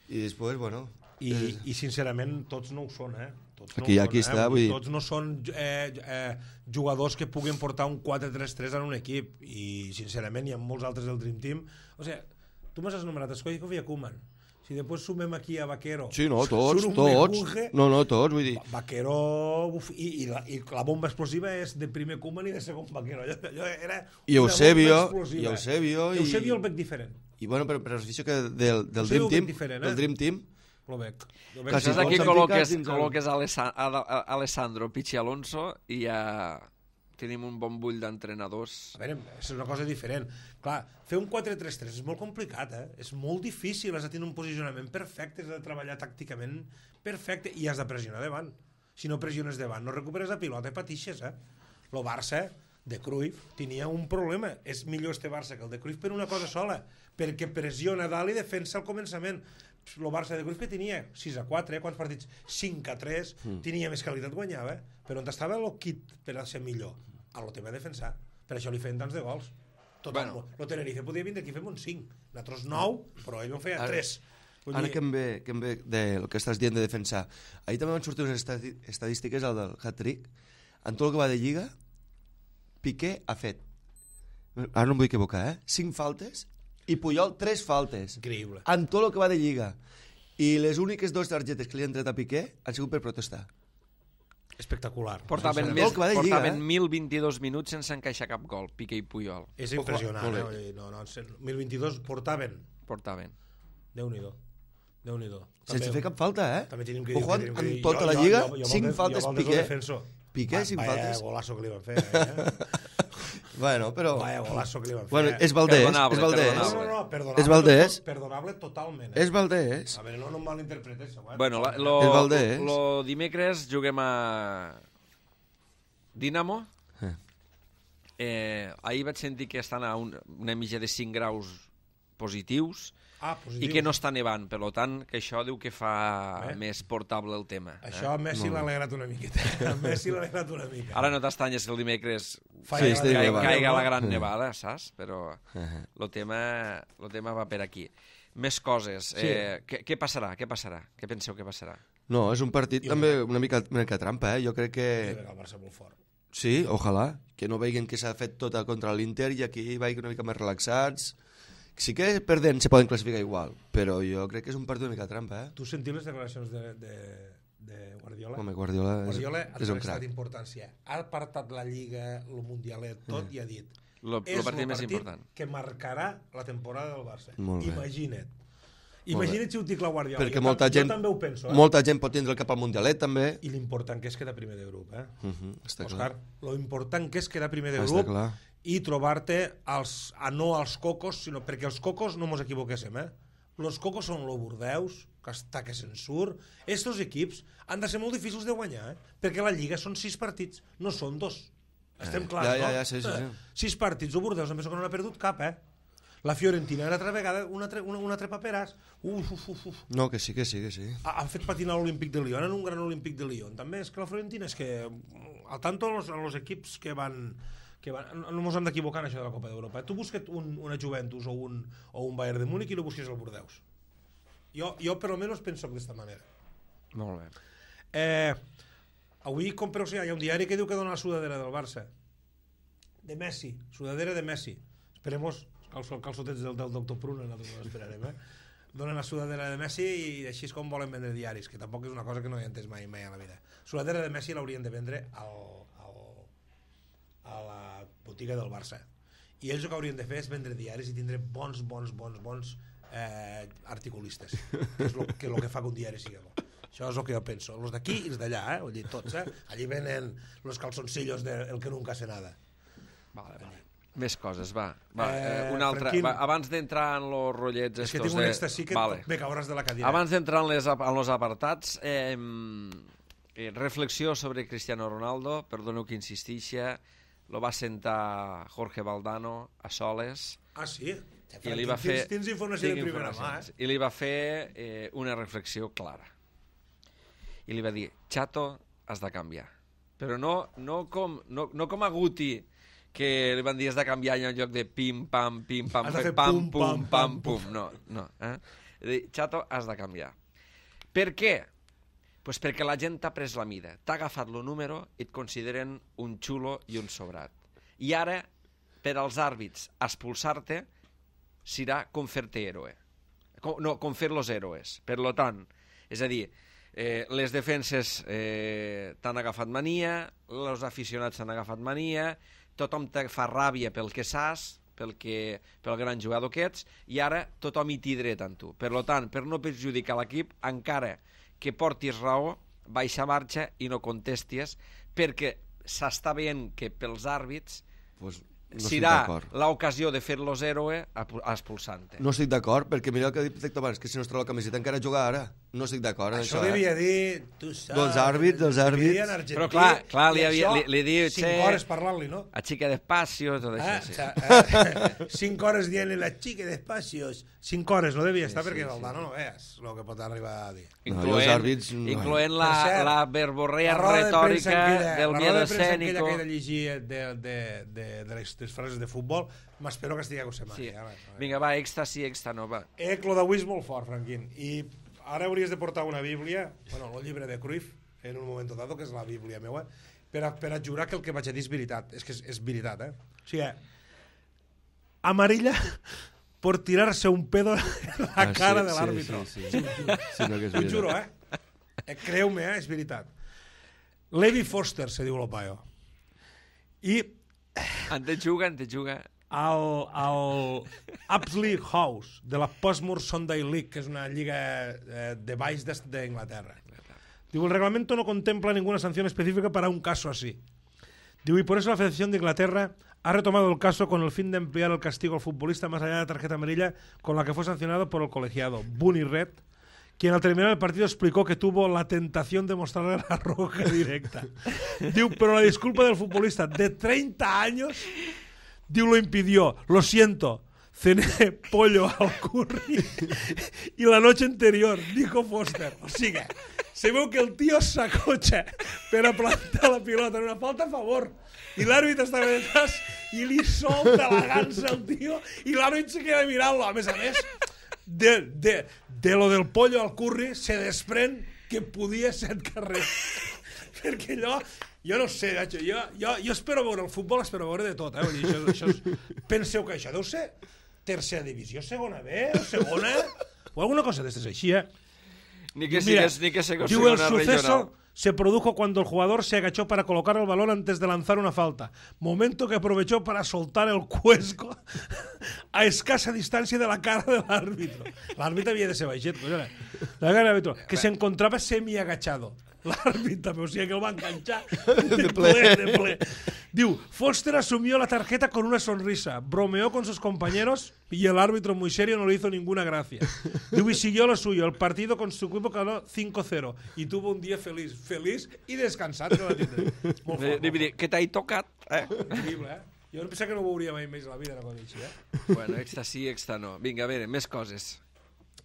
I després, bueno... I, eh, I sincerament tots no ho són, eh? Tots no Aquí- ho són, aquí eh? està, Vull dir, vull dir- Tots no són eh, eh, jugadors que puguin portar un quatre tres tres en un equip i sincerament hi ha molts altres del Dream Team. O sigui, tu m'has anomenat Stoikov i Koeman. Si després sumem aquí a Vaquero... Sí, no, tots, tots. No, no, tots, vull dir... Vaquero... Uf, i, i, la, I la bomba explosiva és de primer Koeman i de segon Vaquero. Allò, allò era I Eusebio, i Eusebio... I Eusebio el veig diferent. I bueno, però, però l'afició que del, del Dream Team... Eh? Del Dream Team... Lo veig. Lo veig. Saps aquí col·loques, col·loques Alessandro, Pichi Alonso i ja tenim un bon bull d'entrenadors. A veure, és una cosa diferent. Clar, fer un quatre tres tres és molt complicat, eh? És molt difícil, has de tenir un posicionament perfecte, has de treballar tàcticament perfecte i has de pressionar davant. Si no pressiones davant, no recuperes la pilota i patixes, eh? Lo Barça de Cruyff tenia un problema. És millor este Barça que el de Cruyff per una cosa sola, perquè pressiona dalt i defensa al començament. El Barça de Cruyff que tenia sis a quatre, eh? Quants partits? cinc a tres, mm. tenia més qualitat, guanyava, eh? Però on estava el kit per a ser millor? A lo tema de defensar. Per això li feien tants de gols. Total, bueno. Lo Tenerife podia vindre aquí fem un cinc. Nosaltres nou, però ell en feia tres. Ara dir... que, em ve, que em ve del que estàs dient de defensar. Ahir també van sortir unes estadístiques al del hat-trick. En tot el que va de Lliga, Piqué ha fet, ara no em vull equivocar, eh? cinc faltes i Puyol tres faltes. Increïble. En tot el que va de Lliga. I les úniques dues targetes que li han tret a Piqué han sigut per protestar. Espectacular. Portaven, més, portaven mil vint-i-dos minuts sense encaixar cap gol, Piqué i Puyol. És impressionant, eh? No, no, mil vint-i-dos portaven. Portaven. Déu-n'hi-do. Déu-n'hi-do. Sense fer cap falta, eh? També tenim que dir... Ojo, en tota la Lliga, cinc faltes Piqué. Piqué, cinc faltes. Vaya golazo que li van fer, eh? Bueno, però... Vaya golazo que li van fer. Bueno, és Valdés, és Valdés. No, no, no, perdonable. És Valdés. Perdonable totalment. És Valdés. A veure, no, no em malinterpretes. Bueno, la, lo, és Valdés. Lo dimecres juguem a Dinamo. Eh. Eh, ahir vaig sentir que estan a un, una mitja de cinc graus positius. Ah, i que no està nevant, per tant, que això diu que fa eh? més portable el tema. Això a Messi l'ha alegrat una miqueta. A Messi l'ha alegrat una mica. Ara no t'estanyes que el dimecres sí, caiga, caiga la gran nevada, saps? Però el tema, el tema va per aquí. Més coses. Sí. Eh, què, què passarà? Què passarà? Què penseu que passarà? No, és un partit I també una mica, una mica trampa, eh? Jo crec que... El Barça molt fort. Sí, ojalà. Que no veiguen que s'ha fet tota contra l'Inter i aquí vagin una mica més relaxats. Sí que perdent se poden classificar igual, però jo crec que és un partit una mica trampa, eh? Tu sentiu les declaracions de, de, de Guardiola? Home, Guardiola, Guardiola és, és un crac. Importància. Ha apartat la Lliga, el Mundialet, tot, eh. i ha dit lo, és lo partit el més partit important que marcarà la temporada del Barça. Molt Imagina't. Imagina't si ho dic la Guardiola. Perquè jo, molta jo gent, també ho penso, eh? molta gent pot tindre el cap al Mundialet, també. I l'important que és quedar primer de grup, eh? Uh -huh, està Òscar, clar. lo important que és quedar primer de està grup clar. i trobar-te als, a no als cocos, sinó perquè els cocos no mos equivoquéssim, eh? Los cocos són lo Bordeus, que està que se'n surt. Estos equips han de ser molt difícils de guanyar, eh? Perquè la Lliga són sis partits, no són dos. Estem eh, clars, ja, ja, no? Ja, sí, sí, sí. Sis partits, el Bordeus, em penso que no n'ha perdut cap, eh? La Fiorentina era altra vegada un altre, un, un altre paperàs. Uf, uf, uf, uf. No, que sí, que sí, que sí. Ha, han fet patinar l'Olímpic de Lyon, en un gran Olímpic de Lyon. També és que la Fiorentina és que, al tanto los, los equips que van... que van, no ens hem d'equivocar en això de la Copa d'Europa. Tu busques un, una Juventus o un, o un Bayern de Múnich i no busques el Bordeus. Jo, jo per almenys penso d'aquesta manera. Molt bé. Eh, avui, com per hi ha un diari que diu que dona la sudadera del Barça. De Messi, sudadera de Messi. Esperemos, els calçotets del, del doctor Pruna, nosaltres no esperarem, eh? Donen la sudadera de Messi i així és com volen vendre diaris, que tampoc és una cosa que no he entès mai, mai a la vida. Sudadera de Messi l'haurien de vendre al, al, a la botiga del Barça. I ells el que haurien de fer és vendre diaris i tindre bons, bons, bons, bons eh, articulistes, que és el que, lo que fa que un diari sigui bo. Això és el que jo penso. Els d'aquí i els d'allà, eh? Vull dir, tots, eh? Allí venen los calzoncillos del de que nunca hace nada. Vale, vale. Més coses, va. va eh, una altra. Va, abans d'entrar en los rotllets estos... És que tinc un èxtasi que vale. Me cauràs de la cadira. Abans d'entrar en, les, en los apartats, eh, eh, reflexió sobre Cristiano Ronaldo, perdoneu que insistixi, lo va sentar Jorge Valdano a soles. Ah, sí? I li va fer, tens, tens informació de primera mà, eh? I li va fer eh, una reflexió clara. I li va dir, Chato, has de canviar. Però no, no, com, no, no com a Guti, que li van dir has de canviar en lloc de pim, pam, pim, pam, pam, pam, pum, pam, pum. No, no. Eh? Dir, Chato, has de canviar. Per què? Pues perquè la gent t'ha pres la mida, t'ha agafat el número i et consideren un xulo i un sobrat. I ara, per als àrbits, expulsar-te serà com fer-te héroe. com, no, com fer los héroes. Per lo tant, és a dir, eh, les defenses eh, t'han agafat mania, els aficionats t'han agafat mania, tothom te fa ràbia pel que saps, pel, que, pel gran jugador que ets, i ara tothom hi té dret en tu. Per lo tant, per no perjudicar l'equip, encara que portis raó, baixa marxa i no contesties, perquè s'està veient que pels àrbits pues no serà l'ocasió de fer los héroe expulsant-te. No estic d'acord, perquè mira el que ha dit abans, que si no es troba la camiseta encara juga ara. No estic d'acord en això. Això devia eh? dir... Tu saps, dels àrbits, dels àrbits... Però clar, clar li, havia, li, li diu... Cinc hores parlant-li, no? A xica despacio, tot això. Ah, sí. eh, cinc hores dient-li la xica despacio. Cinc hores no devia estar, sí, perquè sí, el Dano sí. no veus el que pot arribar a dir. Incloent, no, àrbits, no. incloent la, cert, la verborrea retòrica de del miedo escénico. La roda de premsa que he de llegir de, de, de, de les, les frases de futbol, m'espero que estigui a Cosemani. Sí. Ja, vinga, va, èxtasi, èxta, no, va. Eh, lo d'avui és molt fort, Franquín. I ara hauries de portar una bíblia, bueno, el llibre de Cruyff, en un moment dado, que és la bíblia meua, per a, per a jurar que el que vaig a dir és veritat. És que és, és veritat, eh? O sigui, amarilla por tirarse un pedo en la ah, cara sí, de l'àrbitro. Sí, sí, sí. sí no, que és T'ho juro, eh? eh Creu-me, eh? És veritat. Levi Foster, se diu el paio. I... En te juga, en te juga... al, al Apsley House de la Portsmouth Sunday League, que és una lliga eh, de baix d'Inglaterra. Diu, el reglamento no contempla ninguna sanción específica para un caso así. Diu, y por eso la Federación de Inglaterra ha retomado el caso con el fin de ampliar el castigo al futbolista más allá de la tarjeta amarilla con la que fue sancionado por el colegiado Bunny Red, quien al terminar el partido explicó que tuvo la tentación de mostrarle la roja directa. Diu, pero la disculpa del futbolista de treinta años... Diu, lo impidió, lo siento, cené pollo al curry y la noche anterior, dijo Foster. O sigui, se veu que el tio s'acotxa per a plantar la pilota en una falta a favor i l'àrbit està detrás i li solta la gansa al tio i l'àrbit se queda mirant-lo. A més a més, de, de, de lo del pollo al curry se desprèn que podia ser carrer. Perquè allò... Jo no sé, jo, jo, jo espero veure el futbol, espero veure de tot, eh? Vull dir, això, això és... Penseu que això deu ser tercera divisió, segona B, o segona, o alguna cosa d'estes així, eh? Ni que sigues, ni que sigues segona regional. El suceso se produjo cuando el jugador se agachó para colocar el balón antes de lanzar una falta, momento que aprovechó para soltar el cuesco a escasa distancia de la cara del árbitro. L'àrbit havia de ser baixet, collona. La cara del árbitro, que se encontraba semi-agachado. L'àrbit també, o sigui que el va enganxar de ple, de ple. Diu, Foster asumió la tarjeta con una sonrisa, bromeó con sus compañeros y el árbitro muy serio no le hizo ninguna gracia. Diu, y siguió lo suyo, el partido con su equipo ganó cinco cero y tuvo un día feliz, feliz y descansat. Que va tindre. Molt fort, molt fort. Que t'hai tocat, eh? Increïble, eh? Jo no pensava que no ho veuria mai més a la vida, una cosa així, eh? Bueno, extra sí, extra no. Vinga, a veure, més coses.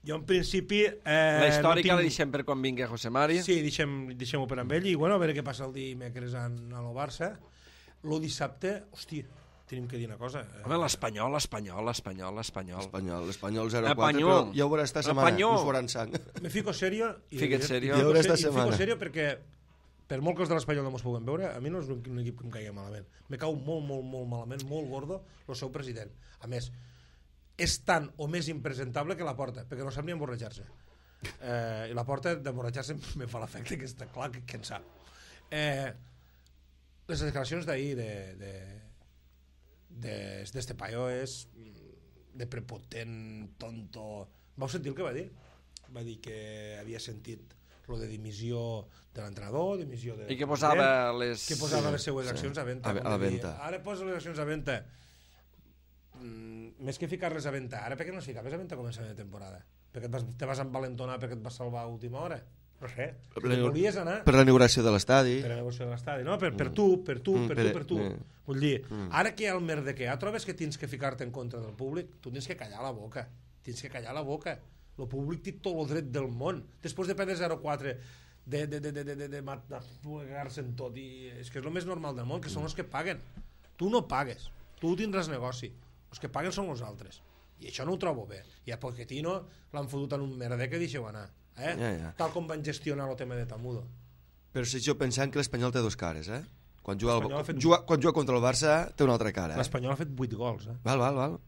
Jo, en principi... Eh, la històrica no tinc... la deixem per quan vingui José Mari. Sí, deixem-ho deixem per amb ell i, bueno, a veure què passa el dimecres en, a lo Barça. Lo dissabte, hòstia, tenim que dir una cosa. Home, l'Espanyol, l'Espanyol, l'Espanyol, l'Espanyol. L'Espanyol, l'Espanyol zero quatre, però ja ho veurà esta setmana, us faran sang. Me fico serio. I Fica't serio. I, i, i fico serio perquè, per molt que els de l'Espanyol no mos puguem veure, a mi no és un, un equip que em caigui malament. Me cau molt, molt, molt malament, molt gordo, el seu president. A més, és tan o més impresentable que la Porta, perquè no sap ni emborratxar-se. Eh, I la Porta d'emborratxar-se me fa l'efecte que està clar que, que en sap. Eh, les declaracions d'ahir de, de, de, d'este paio és de prepotent, tonto... Vau sentir el que va dir? Va dir que havia sentit lo de dimissió de l'entrenador, dimissió de... I que posava les... Que posava les seues accions sí. a venda. A, a la venda. Ara posa les accions a venda. Mm, més que ficar-les a venda, ara per què no es ficaves a venda a començament de temporada? Perquè et vas, te vas envalentonar perquè et vas salvar a última hora? No sé, si la, volies anar... Per la inauguració de l'estadi. Per la inauguració de l'estadi, no? Per, per tu, per tu, mm, per, per tu, per tu. Mm. Vull dir, mm. ara que hi ha el merdequer, trobes que tens que ficar-te en contra del públic? Tu tens que callar la boca. Tens que callar la boca. El públic té tot el dret del món. Després de perdre zero quatre, de, de, de, de, de, de, de matar-se en tot, i és que és el més normal del món, que són els que paguen. Tu no pagues, tu tindràs negoci. Els que paguen són els altres. I això no ho trobo bé. I a Pochettino l'han fotut en un merder que deixeu anar. Eh? Ja, ja. Tal com van gestionar el tema de Tamudo. Però si jo pensant que l'Espanyol té dos cares, eh? Quan juga, el, fet... juga, quan juga contra el Barça té una altra cara. L'Espanyol eh? ha fet vuit gols, eh? Val, val, val.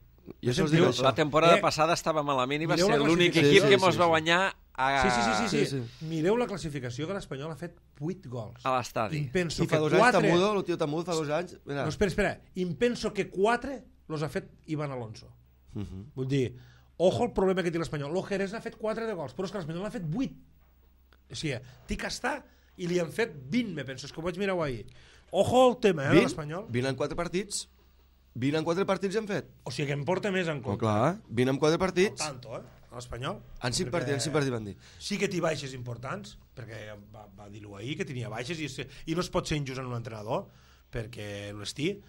I això us dic això. La temporada Eh, passada estava malament i va mireu ser la l'únic classificació. equip que Sí, sí, mos sí, va sí. guanyar a, Sí, sí, sí, sí, sí. Sí, sí. Mireu la classificació que l'Espanyol ha fet vuit gols. a l'estadi. I penso I fa que dos anys quatre... Tamudo, el tio Tamudo fa dos anys... Mira. No, espera, espera. I penso que quatre los ha fet Iván Alonso. Uh -huh. Vull dir, ojo el problema que té l'Espanyol. L'Ojerez ha fet quatre de gols, però és que l'Espanyol ha fet vuit. O sigui, tic està i li han fet vint, me penso. És que ho vaig mirar ahir. Ojo el tema, eh, de l'Espanyol. vint en quatre partits. vint en quatre partits hem fet. O sigui que em porta més en Oh, compte. clar, vint en quatre No partits. tanto, eh, a l'Espanyol. En cinc Perquè partits, en cinc partits van dir. Sí que té baixes importants, perquè va, va dir-ho ahir, que tenia baixes, i, es- i no es pot ser injust en un entrenador, perquè les té,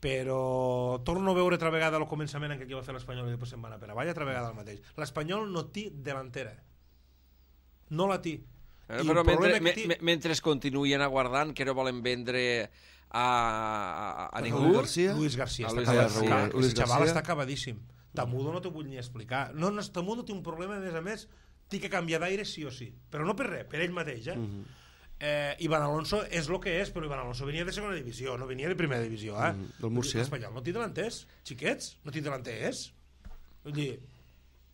però torno a veure altra vegada al començament en què aquí va fer l'Espanyol i després se'n va anar per avall, altra vegada el mateix. L'Espanyol no té delantera. No la té. Però, I però el mentre, problema me, que té- me, mentre es continuen aguardant, que no volen vendre a, a, a ningú... Luis García. Luis García A està Luis acabat. García. Clar, Luis el xaval García. està acabadíssim. Tamudo no t'ho vull ni explicar. No, no, Tamudo té un problema, a més a més, té que canviar d'aire sí o sí. Però no per res, per ell mateix, eh? Uh -huh. eh Iván Alonso és el que és, però Iván Alonso venia de segona divisió, no venia de primera divisió, eh? Mm, del Múrcia. L'Espanyol no té delanters, xiquets, no té delanters. Vull dir,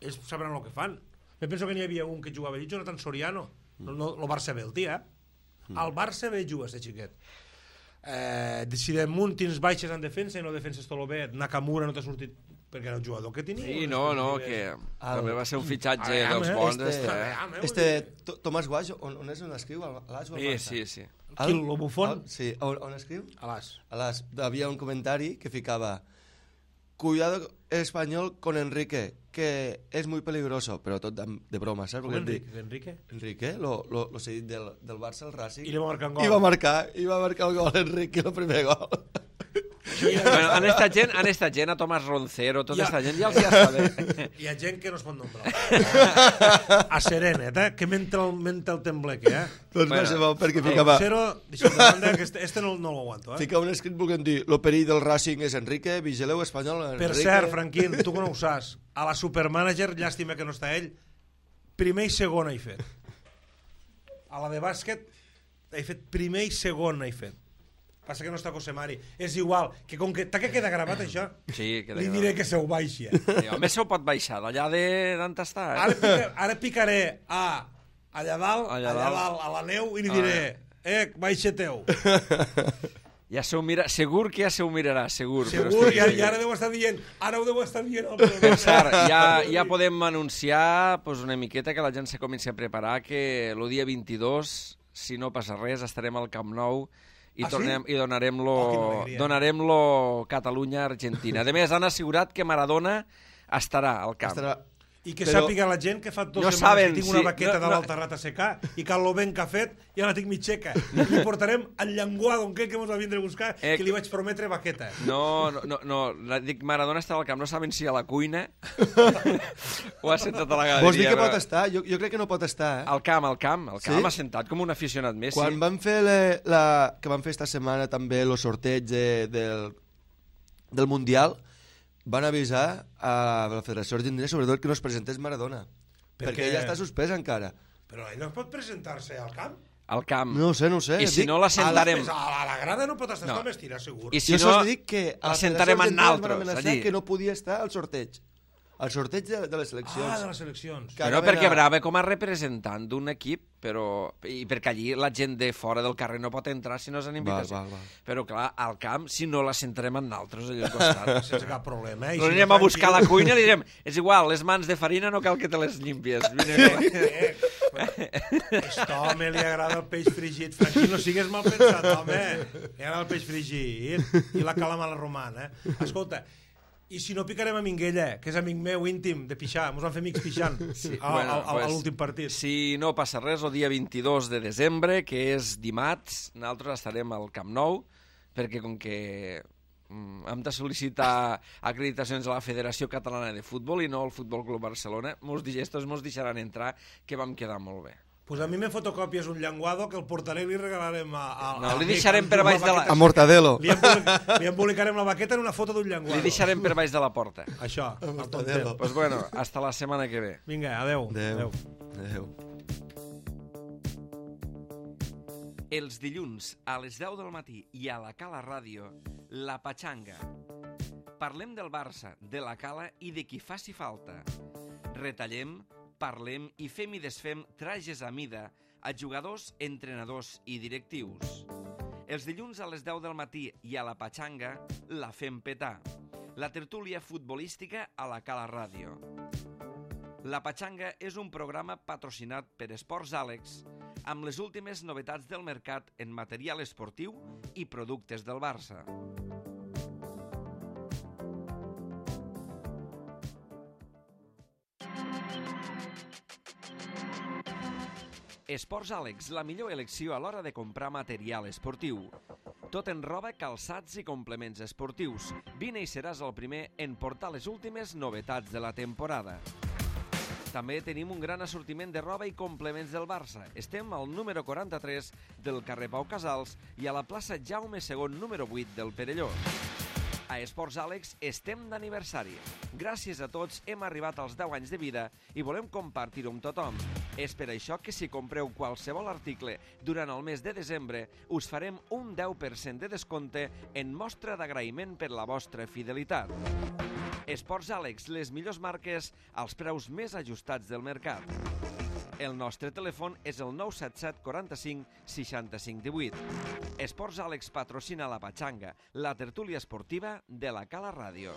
ells sabran el que fan. Me penso que n'hi havia un que jugava allí, Jonathan Soriano. No, no, el Barça B, el tia, eh? El Barça B juga, este xiquet. Eh, si damunt tens baixes en defensa i no defenses tot el bé, Nakamura no t'ha sortit perquè era el jugador que tenia. Sí, no, no, que també va ser un fitxatge Ah, dels eh, bons. este- Este, eh? Ah, meu, Este, To- Tomàs Guaix, on, on és on escriu? A l'As o al Sí, Barça? sí, sí. Qui, lo bufón? Al- Sí, on, on escriu? A l'As. A l'As. Havia un comentari que ficava cuidado español con Enrique, que es muy peligroso, però tot de, de broma, saps? Com Perquè Enrique? Enrique? Enrique, lo, lo, lo cedit del, del Barça al Racing. I li va marcar un gol. I va marcar, i va marcar el gol Enrique, el primer gol. Bueno, han estat gent, han estat gent a Tomàs Roncero, tota Ja. aquesta gent ja els hi està bé. Hi ha gent que no es pot nombrar. A Serenet, eh? Que menta el, menta el tembleque, eh? Doncs Bueno. va ser bo, perquè ficava, Cero, deixa'm de banda, que este, este no, no l'aguanto, eh? ficava un escrit volent dir lo perill del Racing és Enrique, vigileu espanyol Enrique. Per cert, Franquín, tu que no ho saps, a la Supermanager, llàstima que no està ell, primer i segon he fet. A la de bàsquet he fet primer i segon he fet. Passa que no està Cosemari. És igual, que com que t'ha que queda gravat això, Sí, que li diré que se ho baixi. Eh? Sí, home, se ho pot baixar, d'allà de d'on està. Eh? Ara, pica, ara picaré a allà dalt, Allà allà, dalt. dalt, a la neu, i li diré, eh, baixa teu. Ja se ho mira, segur que ja se ho mirarà, segur. però Segur, estic i ara, segur. i ara deu estar dient, ara ho deu estar dient. El Per programa. cert, ja, ja podem anunciar pues, una miqueta que la gent se comenci a preparar que el dia vint-i-dos, si no passa res, estarem al Camp Nou i, Ah, sí? tornem, i donarem-lo Oh, quina alegria. donarem-lo Catalunya-Argentina. A més, han assegurat que Maradona estarà al camp. Estarà... I que Però- sàpiga la gent que fa dues No setmanes saben, que tinc una sí, baqueta no, de no. l'Alterrat a secar i que lo ben que ha fet ja la tinc mig seca. Li portarem el llenguado en què que mos va vindre a buscar, Eh, que li vaig prometre baqueta. No, no, no, no, la- dic Maradona estarà al camp, no saben si a la cuina o assentat a la galeria. Vols dir que però- pot estar? Jo, jo crec que no pot estar, eh? Al camp, al camp, al camp, Sí? assentat com un aficionat més. Quan sí. van fer la, la, que van fer esta setmana també el sorteig de, del, del Mundial, van avisar a la Federació Argentina sobretot que no es presentés Maradona, Per perquè què? ella està suspesa encara. Però ell no pot presentar-se al camp? Al camp. No ho sé, no ho sé. I si Dic- no l'assentarem... A la, a la grada no pot estar, No. no. M'estira, segur. I si Jo no, sols dic que a la l'assentarem Federació en Argentina ens van altres, amenaçar allí. que no podia estar al sorteig. Al sorteig de, de les seleccions. Ah, de les seleccions. Que Però anaven perquè a- Brava com a representant d'un equip, però i perquè allí la gent de fora del carrer no pot entrar si no és en invitació. Val, val, val. Però clar, al camp, si no la sentarem en nosaltres allà al costat. Sense cap problema. Eh? I No si anirem no a buscar a la tranquil- cuina i li direm, és igual, les mans de farina no cal que te les limpies. Vine, Eh, Aquest home li agrada el peix fregit. Franquí, no sigues mal pensat, home. Li agrada el peix fregit i la calamala romana. Eh? Escolta, i si no picarem a Minguella, que és amic meu íntim de pixar, mos van fer amics pixant Sí, a, bueno, a, a, pues, a l'últim partit. Si no passa res, el dia vint-i-dos de desembre, que és dimarts, nosaltres estarem al Camp Nou, perquè com que mm, hem de sol·licitar acreditacions a la Federació Catalana de Futbol i no al Futbol Club Barcelona, mos, estos mos deixaran entrar, que vam quedar molt bé. Pues a mi me fotocopies un llenguado que el portaré i li regalarem a... a No, a li l'amic deixarem amb per una baix de la- baqueta. A Mortadelo. Li, embolic, li embolicarem la baqueta en una foto d'un llenguado. Li deixarem per baix de la porta. Això, el Mortadelo. tontet. Pues bueno, hasta la setmana que ve. Vinga, adeu. Adéu. Adéu. Els dilluns a les deu del matí i a la Cala Ràdio, La Patxanga. Parlem del Barça, de la Cala i de qui faci falta. Retallem, parlem i fem i desfem trajes a mida a jugadors, entrenadors i directius. Els dilluns a les deu del matí i a la Patxanga la fem petar. La tertúlia futbolística a la Cala Ràdio. La Patxanga és un programa patrocinat per Esports Àlex amb les últimes novetats del mercat en material esportiu i productes del Barça. Esports Àlex, la millor elecció a l'hora de comprar material esportiu. Tot en roba, calçats i complements esportius. Vine i seràs el primer en portar les últimes novetats de la temporada. També tenim un gran assortiment de roba i complements del Barça. Estem al número quaranta-tres del carrer Pau Casals i a la plaça Jaume segon número vuit del Perelló. A Esports Àlex estem d'aniversari. Gràcies a tots hem arribat als deu anys de vida i volem compartir-ho amb tothom. És per això que si compreu qualsevol article durant el mes de desembre us farem un deu per cent de descompte en mostra d'agraïment per la vostra fidelitat. Esports Àlex, les millors marques als preus més ajustats del mercat. El nostre telèfon és el nou set set quaranta-cinc seixanta-cinc divuit. Esports Àlex patrocina la Patxanga, la tertúlia esportiva de la Cala Ràdio.